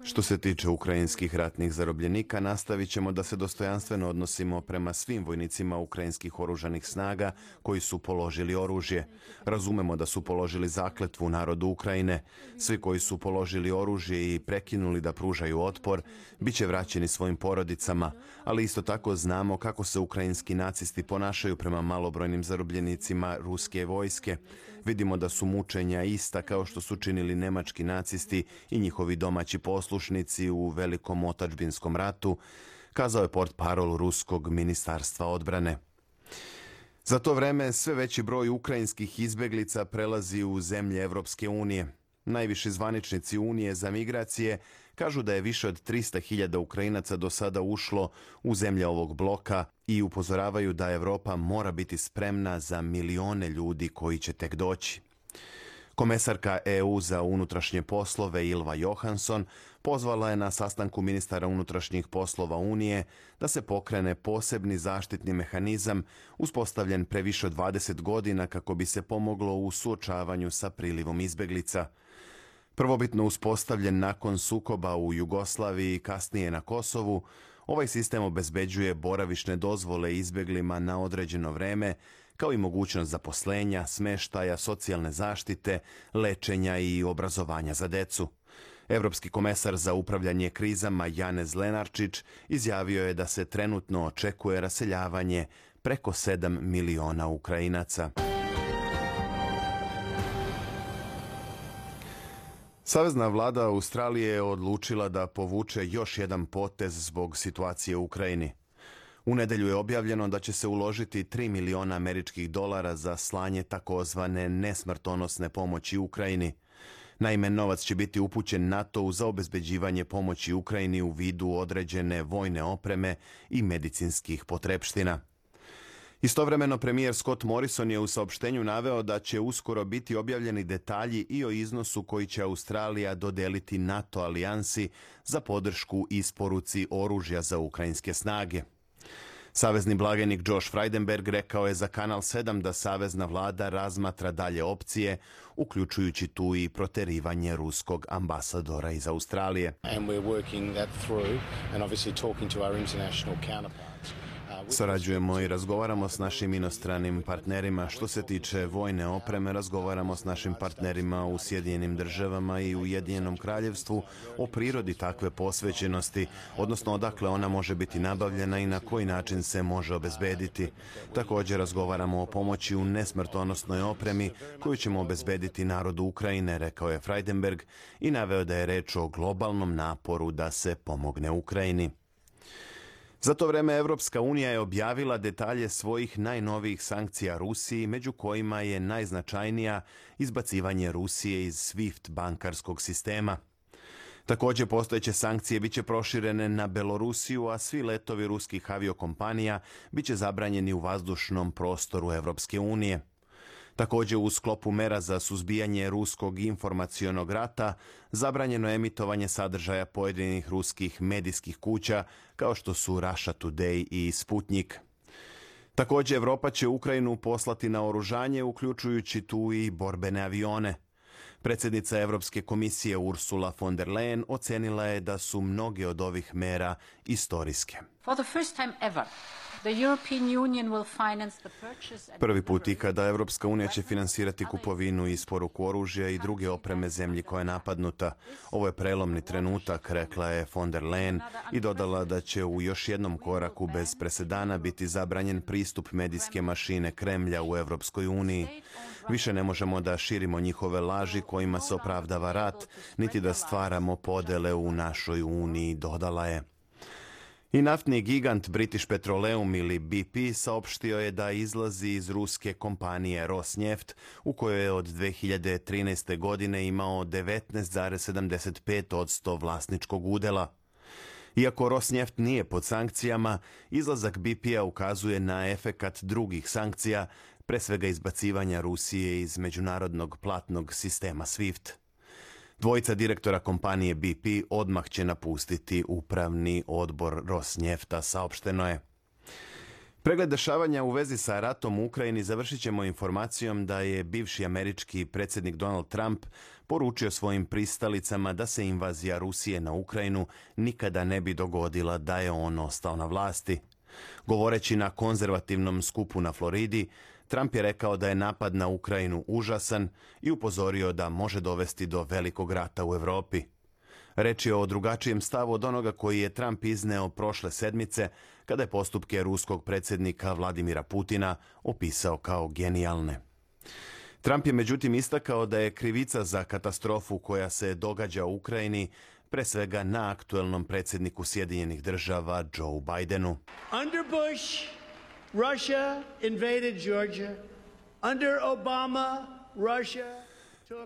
Što se tiče ukrajinskih ratnih zarobljenika, nastavit ćemo da se dostojanstveno odnosimo prema svim vojnicima ukrajinskih oružanih snaga koji su položili oružje. Razumemo da su položili zakletvu narodu Ukrajine. Svi koji su položili oružje i prekinuli da pružaju otpor, bit će vraćeni svojim porodicama, ali isto tako znamo kako se ukrajinski nacisti ponašaju prema malobrojnim zarobljenicima ruske vojske. Vidimo da su mučenja ista kao što su činili nemački nacisti i njihovi domaći poslušnici u Velikom otadžbinskom ratu, kazao je portparol Ruskog ministarstva odbrane. Za to vreme sve veći broj ukrajinskih izbeglica prelazi u zemlje Evropske unije. Najviši zvaničnici Unije za migracije kažu da je više od 300.000 Ukrajinaca do sada ušlo u zemlje ovog bloka i upozoravaju da Evropa mora biti spremna za milione ljudi koji će tek doći. Komesarka EU za unutrašnje poslove Ylva Johansson pozvala je na sastanku ministara unutrašnjih poslova Unije da se pokrene posebni zaštitni mehanizam uspostavljen pre više od 20 godina kako bi se pomoglo u suočavanju sa prilivom izbeglica. Prvobitno uspostavljen nakon sukoba u Jugoslaviji i kasnije na Kosovu, ovaj sistem obezbeđuje boravišne dozvole izbeglima na određeno vreme, kao i mogućnost zaposlenja, smeštaja, socijalne zaštite, lečenja i obrazovanja za decu. Evropski komesar za upravljanje krizama Janez Lenarčić izjavio je da se trenutno očekuje raseljavanje preko 7 miliona Ukrajinaca. Savezna vlada Australije je odlučila da povuče još jedan potez zbog situacije u Ukrajini. U nedjelju je objavljeno da će se uložiti $3 miliona američkih dolara za slanje takozvane nesmrtonosne pomoći Ukrajini. Naime, novac će biti upućen NATO-u za obezbeđivanje pomoći Ukrajini u vidu određene vojne opreme i medicinskih potrepština. Istovremeno, premijer Scott Morrison je u saopštenju naveo da će uskoro biti objavljeni detalji i o iznosu koji će Australija dodeliti NATO alijansi za podršku isporuci oružja za ukrajinske snage. Savezni blagajnik Josh Frydenberg rekao je za Kanal 7 da savezna vlada razmatra dalje opcije, uključujući tu i proterivanje ruskog ambasadora iz Australije. Sarađujemo i razgovaramo s našim inostranim partnerima. Što se tiče vojne opreme, razgovaramo s našim partnerima u Sjedinjenim državama i Ujedinjenom kraljevstvu o prirodi takve posvećenosti, odnosno odakle ona može biti nabavljena i na koji način se može obezbediti. Također razgovaramo o pomoći u nesmrtonosnoj opremi koju ćemo obezbediti narodu Ukrajine, rekao je Frydenberg i naveo da je reč o globalnom naporu da se pomogne Ukrajini. Za to vreme Evropska unija je objavila detalje svojih najnovijih sankcija Rusiji, među kojima je najznačajnija izbacivanje Rusije iz SWIFT bankarskog sistema. Također postojeće sankcije biće proširene na Belorusiju, a svi letovi ruskih aviokompanija biće zabranjeni u vazdušnom prostoru Evropske unije. Također u sklopu mera za suzbijanje ruskog informacionog rata zabranjeno je emitovanje sadržaja pojedinih ruskih medijskih kuća kao što su Russia Today i Sputnik. Također Evropa će Ukrajinu poslati na oružanje, uključujući tu i borbene avione. Predsjednica Europske komisije Ursula von der Leyen ocenila je da su mnoge od ovih mera istorijske. Prvi put ikada Europska unija će finansirati kupovinu i isporuku oružja i druge opreme zemlji koja je napadnuta. Ovo je prelomni trenutak, rekla je von der Leyen i dodala da će u još jednom koraku bez presedana biti zabranjen pristup medijske mašine Kremlja u Europskoj uniji. Više ne možemo da širimo njihove laži kojima se opravdava rat, niti da stvaramo podele u našoj uniji, dodala je. I naftni gigant British Petroleum ili BP saopštio je da izlazi iz ruske kompanije Rosneft, u kojoj je od 2013. godine imao 19,75% vlasničkog udela. Iako Rosneft nije pod sankcijama, izlazak BP-a ukazuje na efekat drugih sankcija, pre svega izbacivanja Rusije iz međunarodnog platnog sistema SWIFT. Dvojica direktora kompanije BP odmah će napustiti upravni odbor Rosnefta, saopšteno je. Pregled dešavanja u vezi sa ratom u Ukrajini završit ćemo informacijom da je bivši američki predsjednik Donald Trump poručio svojim pristalicama da se invazija Rusije na Ukrajinu nikada ne bi dogodila da je on ostao na vlasti. Govoreći na konzervativnom skupu na Floridi, Trump je rekao da je napad na Ukrajinu užasan i upozorio da može dovesti do velikog rata u Europi. Reč je o drugačijem stavu od onoga koji je Trump izneo prošle sedmice kada je postupke ruskog predsjednika Vladimira Putina opisao kao genijalne. Trump je međutim istakao da je krivica za katastrofu koja se događa u Ukrajini pre svega na aktuelnom predsjedniku Sjedinjenih Država Joe Bidenu. Under Bush, Russia invaded Georgia. Under Obama, Russia...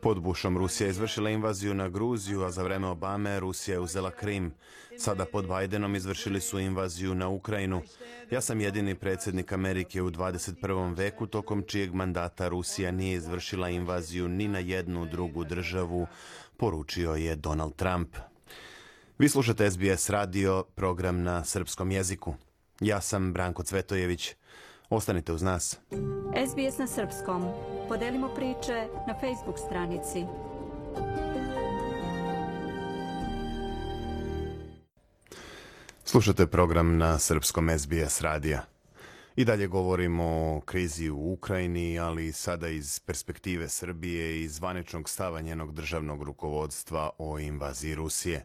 Pod Bushom Rusija je izvršila invaziju na Gruziju, a za vreme Obame Rusija je uzela Krim. Sada pod Bidenom izvršili su invaziju na Ukrajinu. Ja sam jedini predsjednik Amerike u 21. veku tokom čijeg mandata Rusija nije izvršila invaziju ni na jednu drugu državu, poručio je Donald Trump. Vi slušate SBS radio, program na srpskom jeziku. Ja sam Branko Cvetojević. Ostanite uz nas. SBS na srpskom. Podelimo priče na Facebook stranici. Slušate program na srpskom SBS radija. I dalje govorimo o krizi u Ukrajini, ali sada iz perspektive Srbije i zvaničnog stava njenog državnog rukovodstva o invaziji Rusije.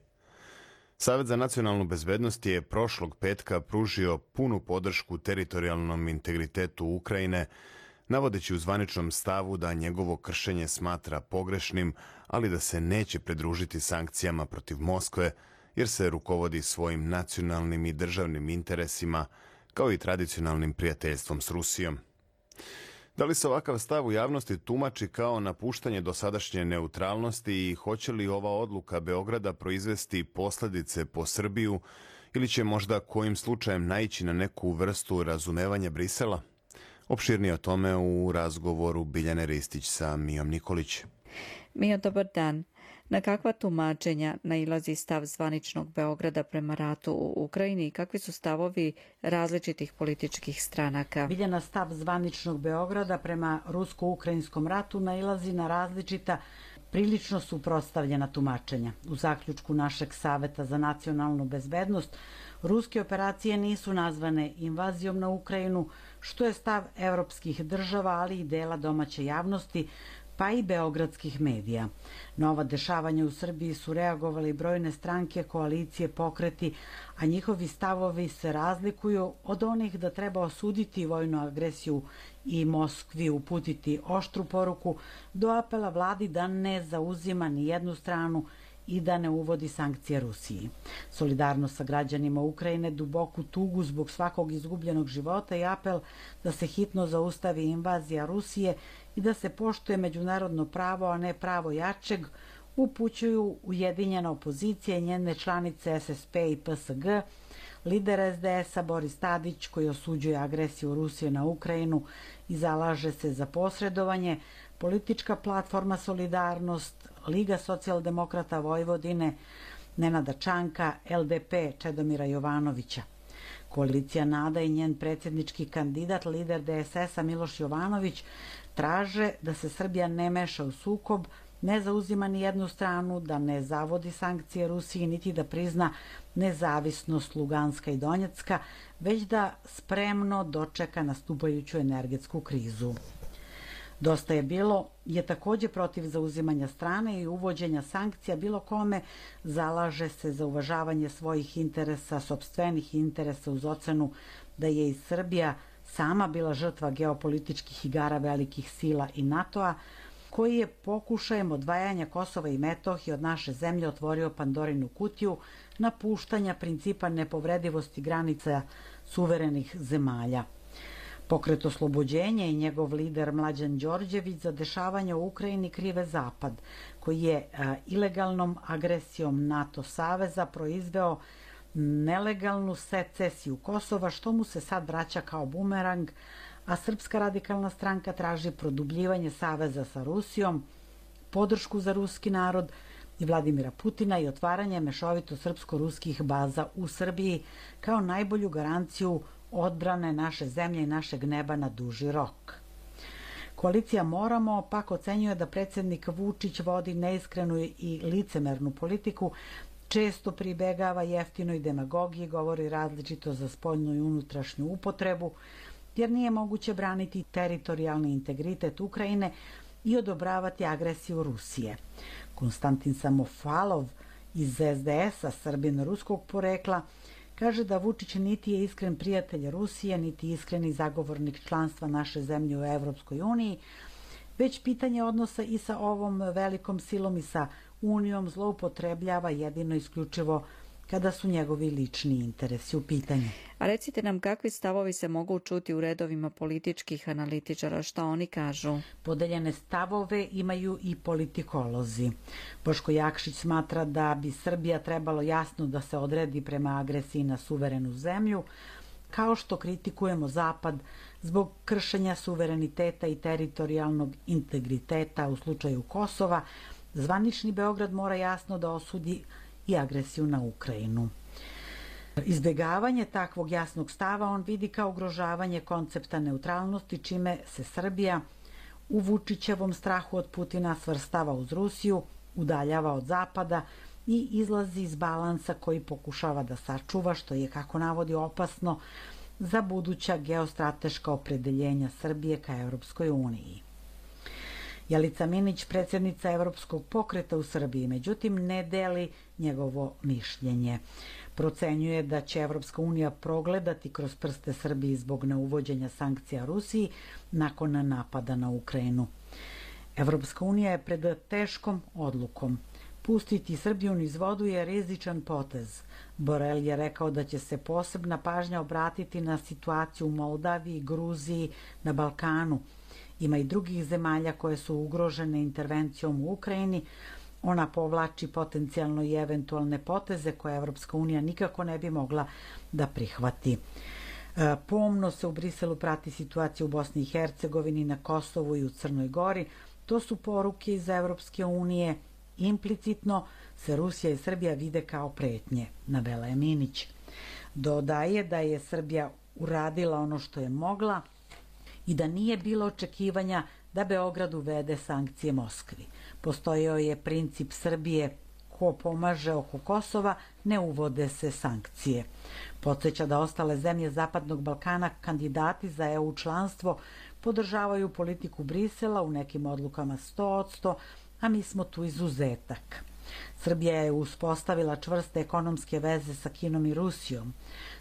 Savet za nacionalnu bezbednost je prošlog petka pružio punu podršku teritorijalnom integritetu Ukrajine, navodeći u zvaničnom stavu da njegovo kršenje smatra pogrešnim, ali da se neće pridružiti sankcijama protiv Moskve, jer se rukovodi svojim nacionalnim i državnim interesima, kao i tradicionalnim prijateljstvom s Rusijom. Da li se ovakav stav u javnosti tumači kao napuštanje dosadašnje neutralnosti i hoće li ova odluka Beograda proizvesti posljedice po Srbiju ili će možda kojim slučajem naići na neku vrstu razumevanja Brisela? Opširnije o tome u razgovoru Biljane Ristić sa Mijom Nikolić. Mijo, dobar dan. Na kakva tumačenja nailazi stav zvaničnog Beograda prema ratu u Ukrajini i kakvi su stavovi različitih političkih stranaka? Biljana, stav zvaničnog Beograda prema rusko-ukrajinskom ratu nailazi na različita, prilično suprotstavljena tumačenja. U zaključku našeg Saveta za nacionalnu bezbednost, ruske operacije nisu nazvane invazijom na Ukrajinu, što je stav evropskih država, ali i dela domaće javnosti, pa i beogradskih medija. Na ova dešavanja u Srbiji su reagovali brojne stranke, koalicije, pokreti, a njihovi stavovi se razlikuju od onih da treba osuditi vojnu agresiju i Moskvi uputiti oštru poruku, do apela vladi da ne zauzima ni jednu stranu i da ne uvodi sankcije Rusiji. Solidarnost sa građanima Ukrajine, duboku tugu zbog svakog izgubljenog života i apel da se hitno zaustavi invazija Rusije i da se poštuje međunarodno pravo, a ne pravo jačeg, upućuju ujedinjena opozicija i njene članice SSP i PSG, lider SDS-a Boris Tadić, koji osuđuje agresiju Rusije na Ukrajinu i zalaže se za posredovanje, politička platforma Solidarnost, Liga socijaldemokrata Vojvodine, Nenada Čanka, LDP Čedomira Jovanovića. Koalicija NADA i njen predsjednički kandidat, lider DSS-a Miloš Jovanović, traže da se Srbija ne meša u sukob, ne zauzima ni jednu stranu, da ne zavodi sankcije Rusiji, niti da prizna nezavisnost Luganska i Donjecka, već da spremno dočeka nastupajuću energetsku krizu. Dosta je bilo je takođe protiv zauzimanja strane i uvođenja sankcija bilo kome, zalaže se za uvažavanje svojih interesa, sopstvenih interesa uz ocenu da je i Srbija sama bila žrtva geopolitičkih igara velikih sila i NATO-a, koji je pokušajem odvajanja Kosova i Metohije od naše zemlje otvorio Pandorinu kutiju napuštanja principa nepovredivosti granica suverenih zemalja. Pokret Oslobođenja i njegov lider Mlađan Đorđević za dešavanje u Ukrajini krive Zapad, koji je ilegalnom agresijom NATO saveza proizveo nelegalnu secesiju Kosova, što mu se sad vraća kao bumerang, a Srpska radikalna stranka traži produbljivanje saveza sa Rusijom, podršku za ruski narod i Vladimira Putina i otvaranje mešovito srpsko-ruskih baza u Srbiji kao najbolju garanciju odbrane naše zemlje i našeg neba na duži rok. Koalicija Moramo pak ocenjuje da predsjednik Vučić vodi neiskrenu i licemernu politiku, često pribegava jeftinoj demagogiji, govori različito za spoljnu i unutrašnju upotrebu, jer nije moguće braniti teritorijalni integritet Ukrajine i odobravati agresiju Rusije. Konstantin Samofalov iz SDS-a, Srbin ruskog porekla, kaže da Vučić niti je iskren prijatelj Rusije, niti iskreni zagovornik članstva naše zemlje u Evropskoj uniji, već pitanje odnosa i sa ovom velikom silom i sa Unijom zloupotrebljava jedino isključivo kada su njegovi lični interesi u pitanju. A recite nam kakvi stavovi se mogu čuti u redovima političkih analitičara, šta oni kažu? Podeljene stavove imaju i politikolozi. Boško Jakšić smatra da bi Srbija trebalo jasno da se odredi prema agresiji na suverenu zemlju, kao što kritikujemo Zapad zbog kršenja suvereniteta i teritorijalnog integriteta u slučaju Kosova, zvanični Beograd mora jasno da osudi i agresiju na Ukrajinu. Izbjegavanje takvog jasnog stava on vidi kao ugrožavanje koncepta neutralnosti, čime se Srbija u Vučićevom strahu od Putina svrstava uz Rusiju, udaljava od Zapada i izlazi iz balansa koji pokušava da sačuva, što je, kako navodi, opasno za buduća geostrateška opredeljenja Srbije ka Evropskoj uniji. Jelica Minić, predsjednica Evropskog pokreta u Srbiji, međutim ne deli njegovo mišljenje. Procenjuje da će Evropska unija progledati kroz prste Srbiji zbog neuvođenja sankcija Rusiji nakon napada na Ukrajinu. Evropska unija je pred teškom odlukom. Pustiti Srbiju niz vodu je rizičan potez. Borel je rekao da će se posebna pažnja obratiti na situaciju u Moldaviji, Gruziji, na Balkanu. Ima i drugih zemalja koje su ugrožene intervencijom u Ukrajini. Ona povlači potencijalno i eventualne poteze koje Evropska unija nikako ne bi mogla da prihvati. Pomno se u Briselu prati situacija u Bosni i Hercegovini, na Kosovu i u Crnoj Gori. To su poruke iz Evropske unije. Implicitno se Rusija i Srbija vide kao pretnje, navela je Minić. Dodaje da je Srbija uradila ono što je mogla i da nije bilo očekivanja da Beograd uvede sankcije Moskvi. Postojao je princip Srbije: ko pomaže oko Kosova, ne uvode se sankcije. Podsjeća da ostale zemlje Zapadnog Balkana, kandidati za EU članstvo, podržavaju politiku Brisela, u nekim odlukama 100%, a mi smo tu izuzetak. Srbija je uspostavila čvrste ekonomske veze sa Kinom i Rusijom.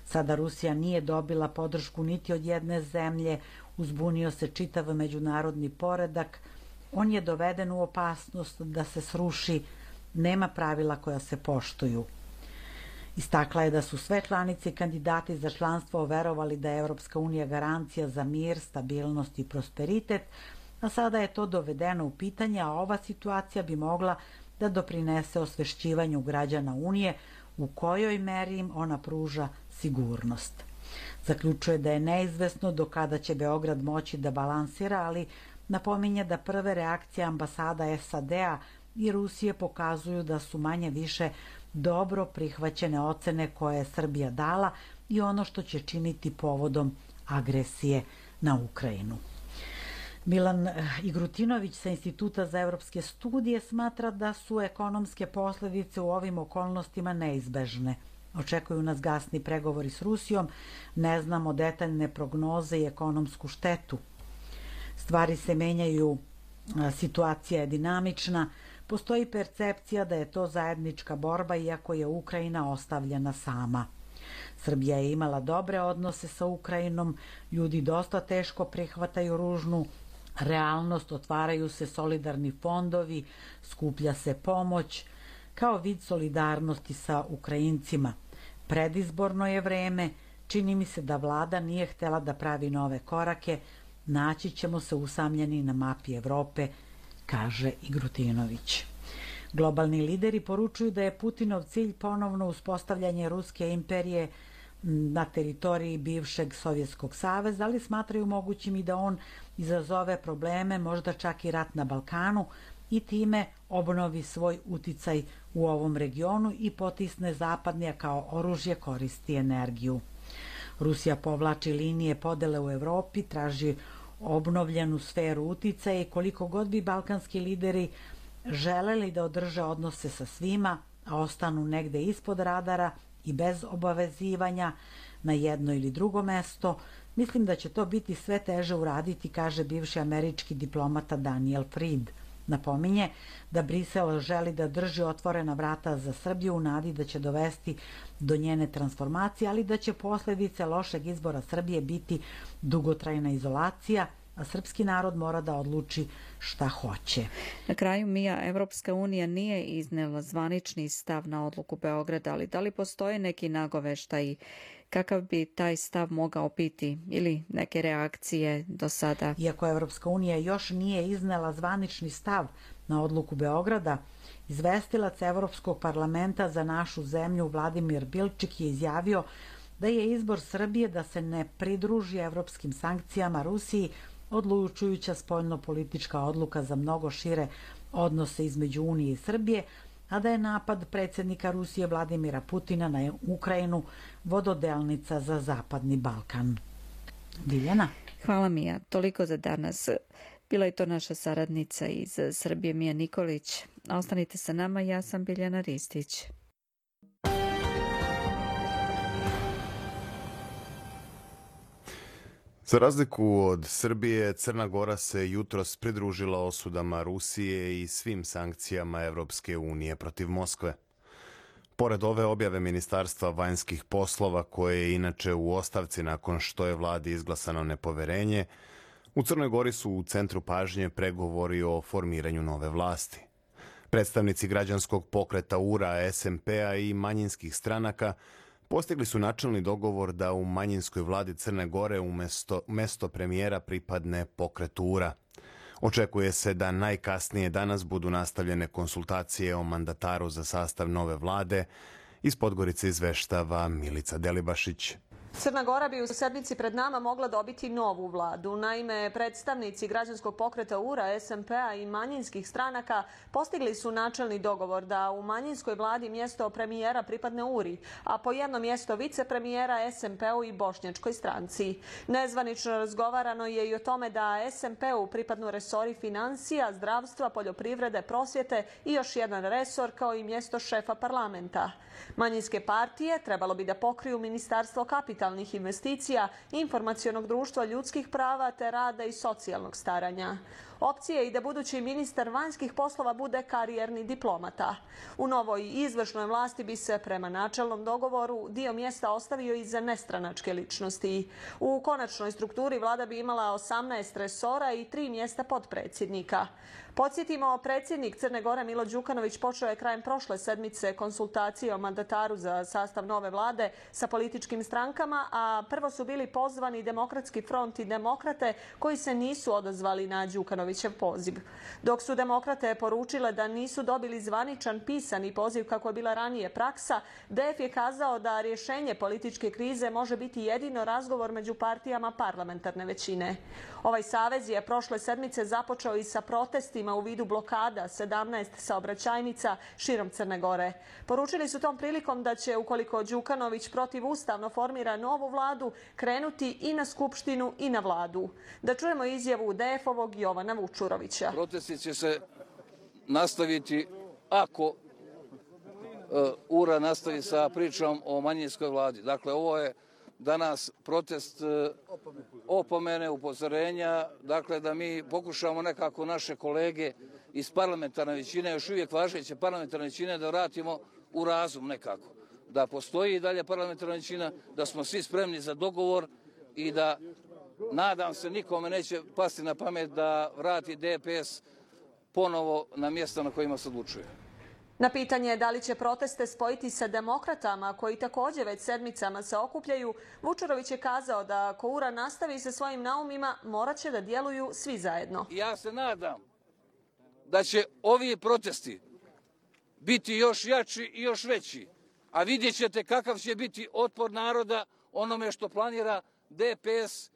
Sada Rusija nije dobila podršku niti od jedne zemlje, uzbunio se čitav međunarodni poredak, on je doveden u opasnost da se sruši, nema pravila koja se poštuju. Istakla je da su sve članice i kandidati za članstvo verovali da je Evropska unija garancija za mir, stabilnost i prosperitet, a sada je to dovedeno u pitanje, a ova situacija bi mogla da doprinese osvešćivanju građana Unije u kojoj meri im ona pruža sigurnost. Zaključuje da je neizvesno do kada će Beograd moći da balansira, ali napominje da prve reakcije ambasada SAD-a i Rusije pokazuju da su manje više dobro prihvaćene ocene koje je Srbija dala i ono što će činiti povodom agresije na Ukrajinu. Milan Igrutinović sa Instituta za evropske studije smatra da su ekonomske posljedice u ovim okolnostima neizbežne. Očekuju nas gasni pregovori s Rusijom, ne znamo detaljne prognoze i ekonomsku štetu. Stvari se menjaju, situacija je dinamična, postoji percepcija da je to zajednička borba iako je Ukrajina ostavljena sama. Srbija je imala dobre odnose sa Ukrajinom, ljudi dosta teško prihvataju ružnu realnost, otvaraju se solidarni fondovi, skuplja se pomoć kao vid solidarnosti sa Ukrajincima. Predizborno je vreme, čini mi se da vlada nije htela da pravi nove korake, naći ćemo se usamljeni na mapi Evrope, kaže Igrutinović. Globalni lideri poručuju da je Putinov cilj ponovno uspostavljanje Ruske imperije na teritoriji bivšeg Sovjetskog saveza, ali smatraju mogućim i da on izazove probleme, možda čak i rat na Balkanu i time obnovi svoj uticaj u ovom regionu i potisne zapadnije kao oružje koristi energiju. Rusija povlači linije podele u Evropi, traži obnovljenu sferu uticaja i koliko god bi balkanski lideri želeli da održe odnose sa svima, a ostanu negde ispod radara i bez obavezivanja na jedno ili drugo mesto, mislim da će to biti sve teže uraditi, kaže bivši američki diplomata Daniel Fried. Napominje da Brisel želi da drži otvorena vrata za Srbiju u nadi da će dovesti do njene transformacije, ali da će posljedice lošeg izbora Srbije biti dugotrajna izolacija, a srpski narod mora da odluči šta hoće. Na kraju, Mija, Evropska unija nije iznela zvanični stav na odluku Beograda, ali da li postoje neki nagoveštaji kakav bi taj stav mogao biti ili neke reakcije do sada? Iako Evropska unija još nije iznela zvanični stav na odluku Beograda, izvestilac Evropskog parlamenta za našu zemlju Vladimir Bilčik je izjavio da je izbor Srbije da se ne pridruži evropskim sankcijama Rusiji odlučujuća spoljno-politička odluka za mnogo šire odnose između Unije i Srbije, a da je napad predsjednika Rusije Vladimira Putina na Ukrajinu vododelnica za Zapadni Balkan. Biljana? Hvala, Mija. Toliko za danas. Bila je to naša saradnica iz Srbije, Mija Nikolić. Ostanite sa nama, ja sam Biljana Ristić. Za razliku od Srbije, Crna Gora se jutros pridružila osudama Rusije i svim sankcijama Evropske unije protiv Moskve. Pored ove objave Ministarstva vanjskih poslova, koje je inače u ostavci nakon što je vladi izglasano nepoverenje, u Crnoj Gori su u centru pažnje pregovori o formiranju nove vlasti. Predstavnici građanskog pokreta URA, SMP-a i manjinskih stranaka postigli su načelni dogovor da u manjinskoj vladi Crne Gore umesto premijera pripadne pokret URA. Očekuje se da najkasnije danas budu nastavljene konsultacije o mandataru za sastav nove vlade. Iz Podgorice izveštava Milica Delibašić. Crna Gora bi u sedmici pred nama mogla dobiti novu vladu. Naime, predstavnici građanskog pokreta URA, SMP-a i manjinskih stranaka postigli su načelni dogovor da u manjinskoj vladi mjesto premijera pripadne URI, a po jedno mjesto vicepremijera SMP-u i bošnjačkoj stranci. Nezvanično razgovarano je i o tome da SMP-u pripadnu resori financija, zdravstva, poljoprivrede, prosvjete i još jedan resor kao i mjesto šefa parlamenta. Manjinske partije trebalo bi da pokriju Ministarstvo kapitalnih investicija, informacionog društva, ljudskih prava te rada i socijalnog staranja. Opcija je i da budući ministar vanjskih poslova bude karijerni diplomata. U novoj izvršnoj vlasti bi se prema načelnom dogovoru dio mjesta ostavio i za nestranačke ličnosti. U konačnoj strukturi vlada bi imala 18 resora i 3 mjesta potpredsjednika. Podsjetimo, predsjednik Crne Gore Milo Đukanović počeo je krajem prošle sedmice konsultacije o mandataru za sastav nove vlade sa političkim strankama, a prvo su bili pozvani Demokratski front i Demokrate koji se nisu odazvali na Đukanovićev poziv. Dok su Demokrate poručile da nisu dobili zvaničan pisani poziv kako je bila ranije praksa, DF je kazao da rješenje političke krize može biti jedino razgovor među partijama parlamentarne većine. Ovaj savez je prošle sedmice započeo i sa protestima u vidu blokada 17 saobraćajnica širom Crne Gore. Poručili su tom prilikom da će, ukoliko Đukanović protivustavno formira formira novu vladu, krenuti i na Skupštinu i na vladu. Da čujemo izjavu DF-ovog Jovana Vučurovića. Protesti će se nastaviti ako URA nastavi sa pričom o manjinskoj vladi. Dakle, ovo je danas protest opomene, upozorenja, dakle da mi pokušamo nekako naše kolege iz parlamentarne većine, još uvijek važeće parlamentarne većine, da vratimo u razum nekako. Da postoji i dalje parlamentarna većina, da smo svi spremni za dogovor i da, nadam se, nikome neće pasti na pamet da vrati DPS ponovo na mjesta na kojima se odlučuje. Na pitanje da li će proteste spojiti sa demokratama, koji također već sedmicama se okupljaju, Vučurović je kazao da ako URA nastavi sa svojim naumima, morat će da djeluju svi zajedno. Ja se nadam da će ovi protesti biti još jači i još veći, a vidjet ćete kakav će biti otpor naroda onome što planira DPS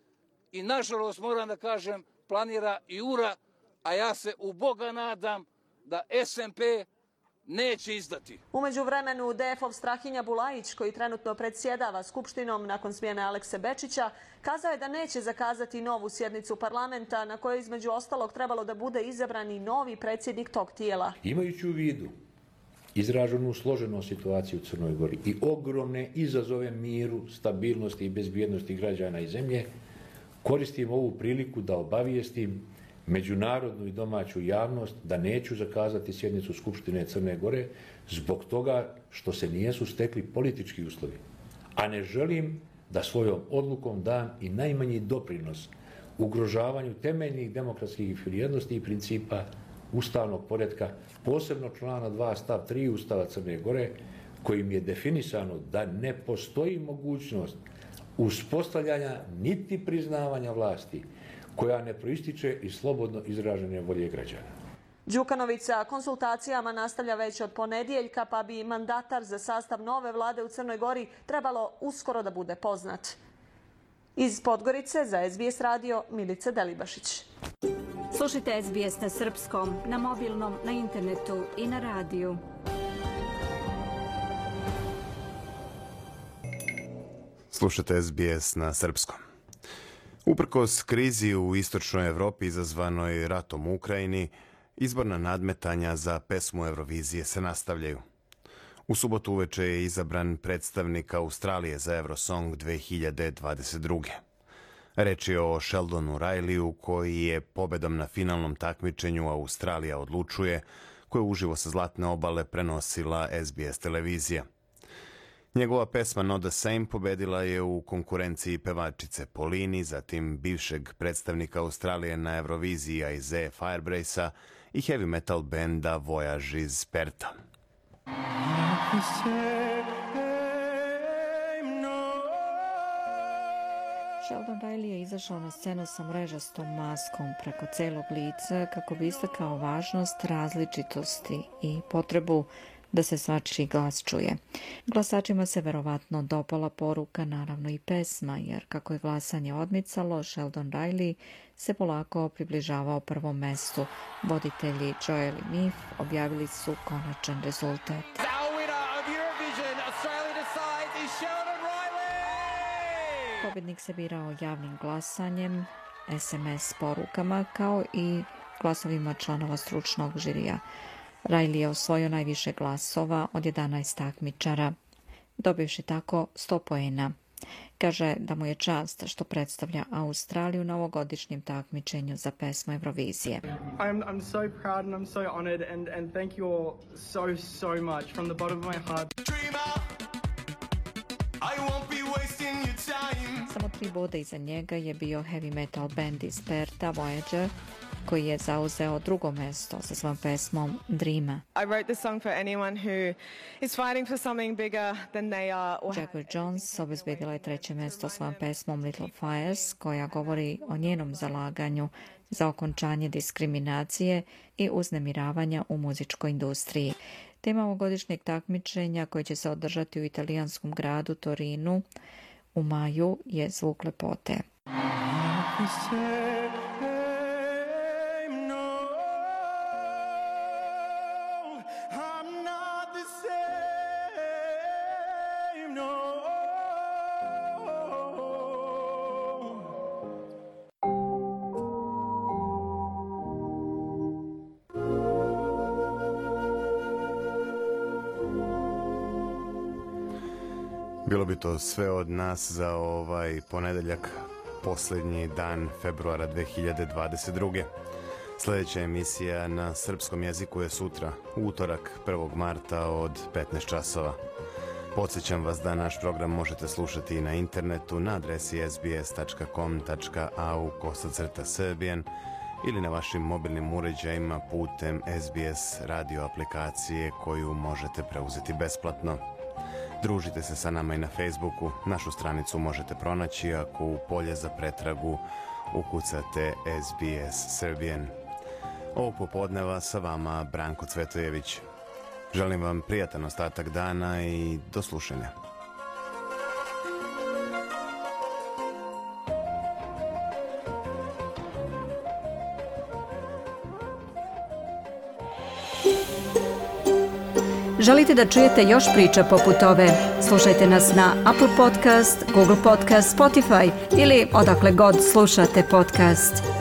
i, nažalost, moram da kažem, planira i URA, a ja se u Boga nadam da SMP neće izdati. U međuvremenu DF-ov Strahinja Bulajić, koji trenutno predsjedava Skupštinom nakon smjene Alekse Bečića, kazao je da neće zakazati novu sjednicu parlamenta na kojoj između ostalog trebalo da bude izabran i novi predsjednik tog tijela. Imajući u vidu izraženu složenu situaciju u Crnoj Gori i ogromne izazove miru, stabilnosti i bezbjednosti građana i zemlje, koristim ovu priliku da obavijestim međunarodnu i domaću javnost da neću zakazati sjednicu Skupštine Crne Gore zbog toga što se nijesu stekli politički uslovi. A ne želim da svojom odlukom dam i najmanji doprinos ugrožavanju temeljnih demokratskih vrijednosti i principa ustavnog poretka, posebno člana 2 stav 3 Ustava Crne Gore, kojim je definisano da ne postoji mogućnost uspostavljanja niti priznavanja vlasti koja ne proističe iz slobodno izražene volje građana. Đukanović sa konsultacijama nastavlja već od ponedjeljka, pa bi mandatar za sastav nove vlade u Crnoj Gori trebalo uskoro da bude poznat. Iz Podgorice za SBS radio Milica Delibašić. Slušajte SBS na srpskom, na mobilnom, na internetu i na radiju. Slušajte SBS na srpskom. Uprkos krizi u istočnoj Evropi izazvanoj ratom u Ukrajini, izborna nadmetanja za pesmu Eurovizije se nastavljaju. U subotu uveče je izabran predstavnik Australije za Eurosong 2022. Reč je o Sheldonu Rileyu, koji je pobedom na finalnom takmičenju Australija odlučuje, koje uživo sa Zlatne obale prenosila SBS televizija. Njegova pesma Not the Same pobedila je u konkurenciji pevačice Polini, zatim bivšeg predstavnika Australije na Euroviziji Isaiah Firebrace-a i heavy metal benda Voyage iz Perta. Sheldon Riley je izašao na scenu sa mrežastom maskom preko celog lica kako bi istakao važnost različitosti i potrebu da se svačiji glas čuje. Glasačima se verovatno dopala poruka, naravno i pesma, jer kako je glasanje odmicalo, Sheldon Riley se polako približavao prvom mestu. Voditelji Joel i Mif objavili su konačan rezultat. Pobednik se birao javnim glasanjem, SMS porukama, kao i glasovima članova stručnog žirija. Riley je osvojio najviše glasova od 11 takmičara, dobivši tako 100 poena. Kaže da mu je čast što predstavlja Australiju na ovogodišnjem takmičenju za pesmu Eurovizije. I'm so proud and I'm so honored and thank you all so much from the bottom of my heart. Samo 3 boda iza njega je bio heavy metal band iz Perta, Voyager, koji je zauzeo drugo mesto sa svojom pesmom Dreama. I wrote this song for anyone who is fighting for something bigger than they are. Jagger Jones obezbedila je treće mesto svojom pesmom Little Fires, koja govori o njenom zalaganju za okončanje diskriminacije i uznemiravanja u muzičkoj industriji. Tema ovogodišnjeg takmičenja, koje će se održati u italijanskom gradu Torinu u maju, je Zvuk lepote. Bilo bi to sve od nas za ovaj ponedeljak, posljednji dan februara 2022. Sljedeća emisija na srpskom jeziku je sutra, utorak 1. marta od 15 časova. Podsjećam vas da naš program možete slušati i na internetu na adresi sbs.com.au/serbian ili na vašim mobilnim uređajima putem SBS radio aplikacije koju možete preuzeti besplatno. Družite se sa nama i na Facebooku. Našu stranicu možete pronaći ako u polje za pretragu ukucate SBS Serbian. Ovog popodneva sa vama Branko Cvetojević. Želim vam prijatan ostatak dana i do slušanja. Želite da čujete još priča poput ove? Slušajte nas na Apple Podcast, Google Podcast, Spotify ili odakle god slušate podcast.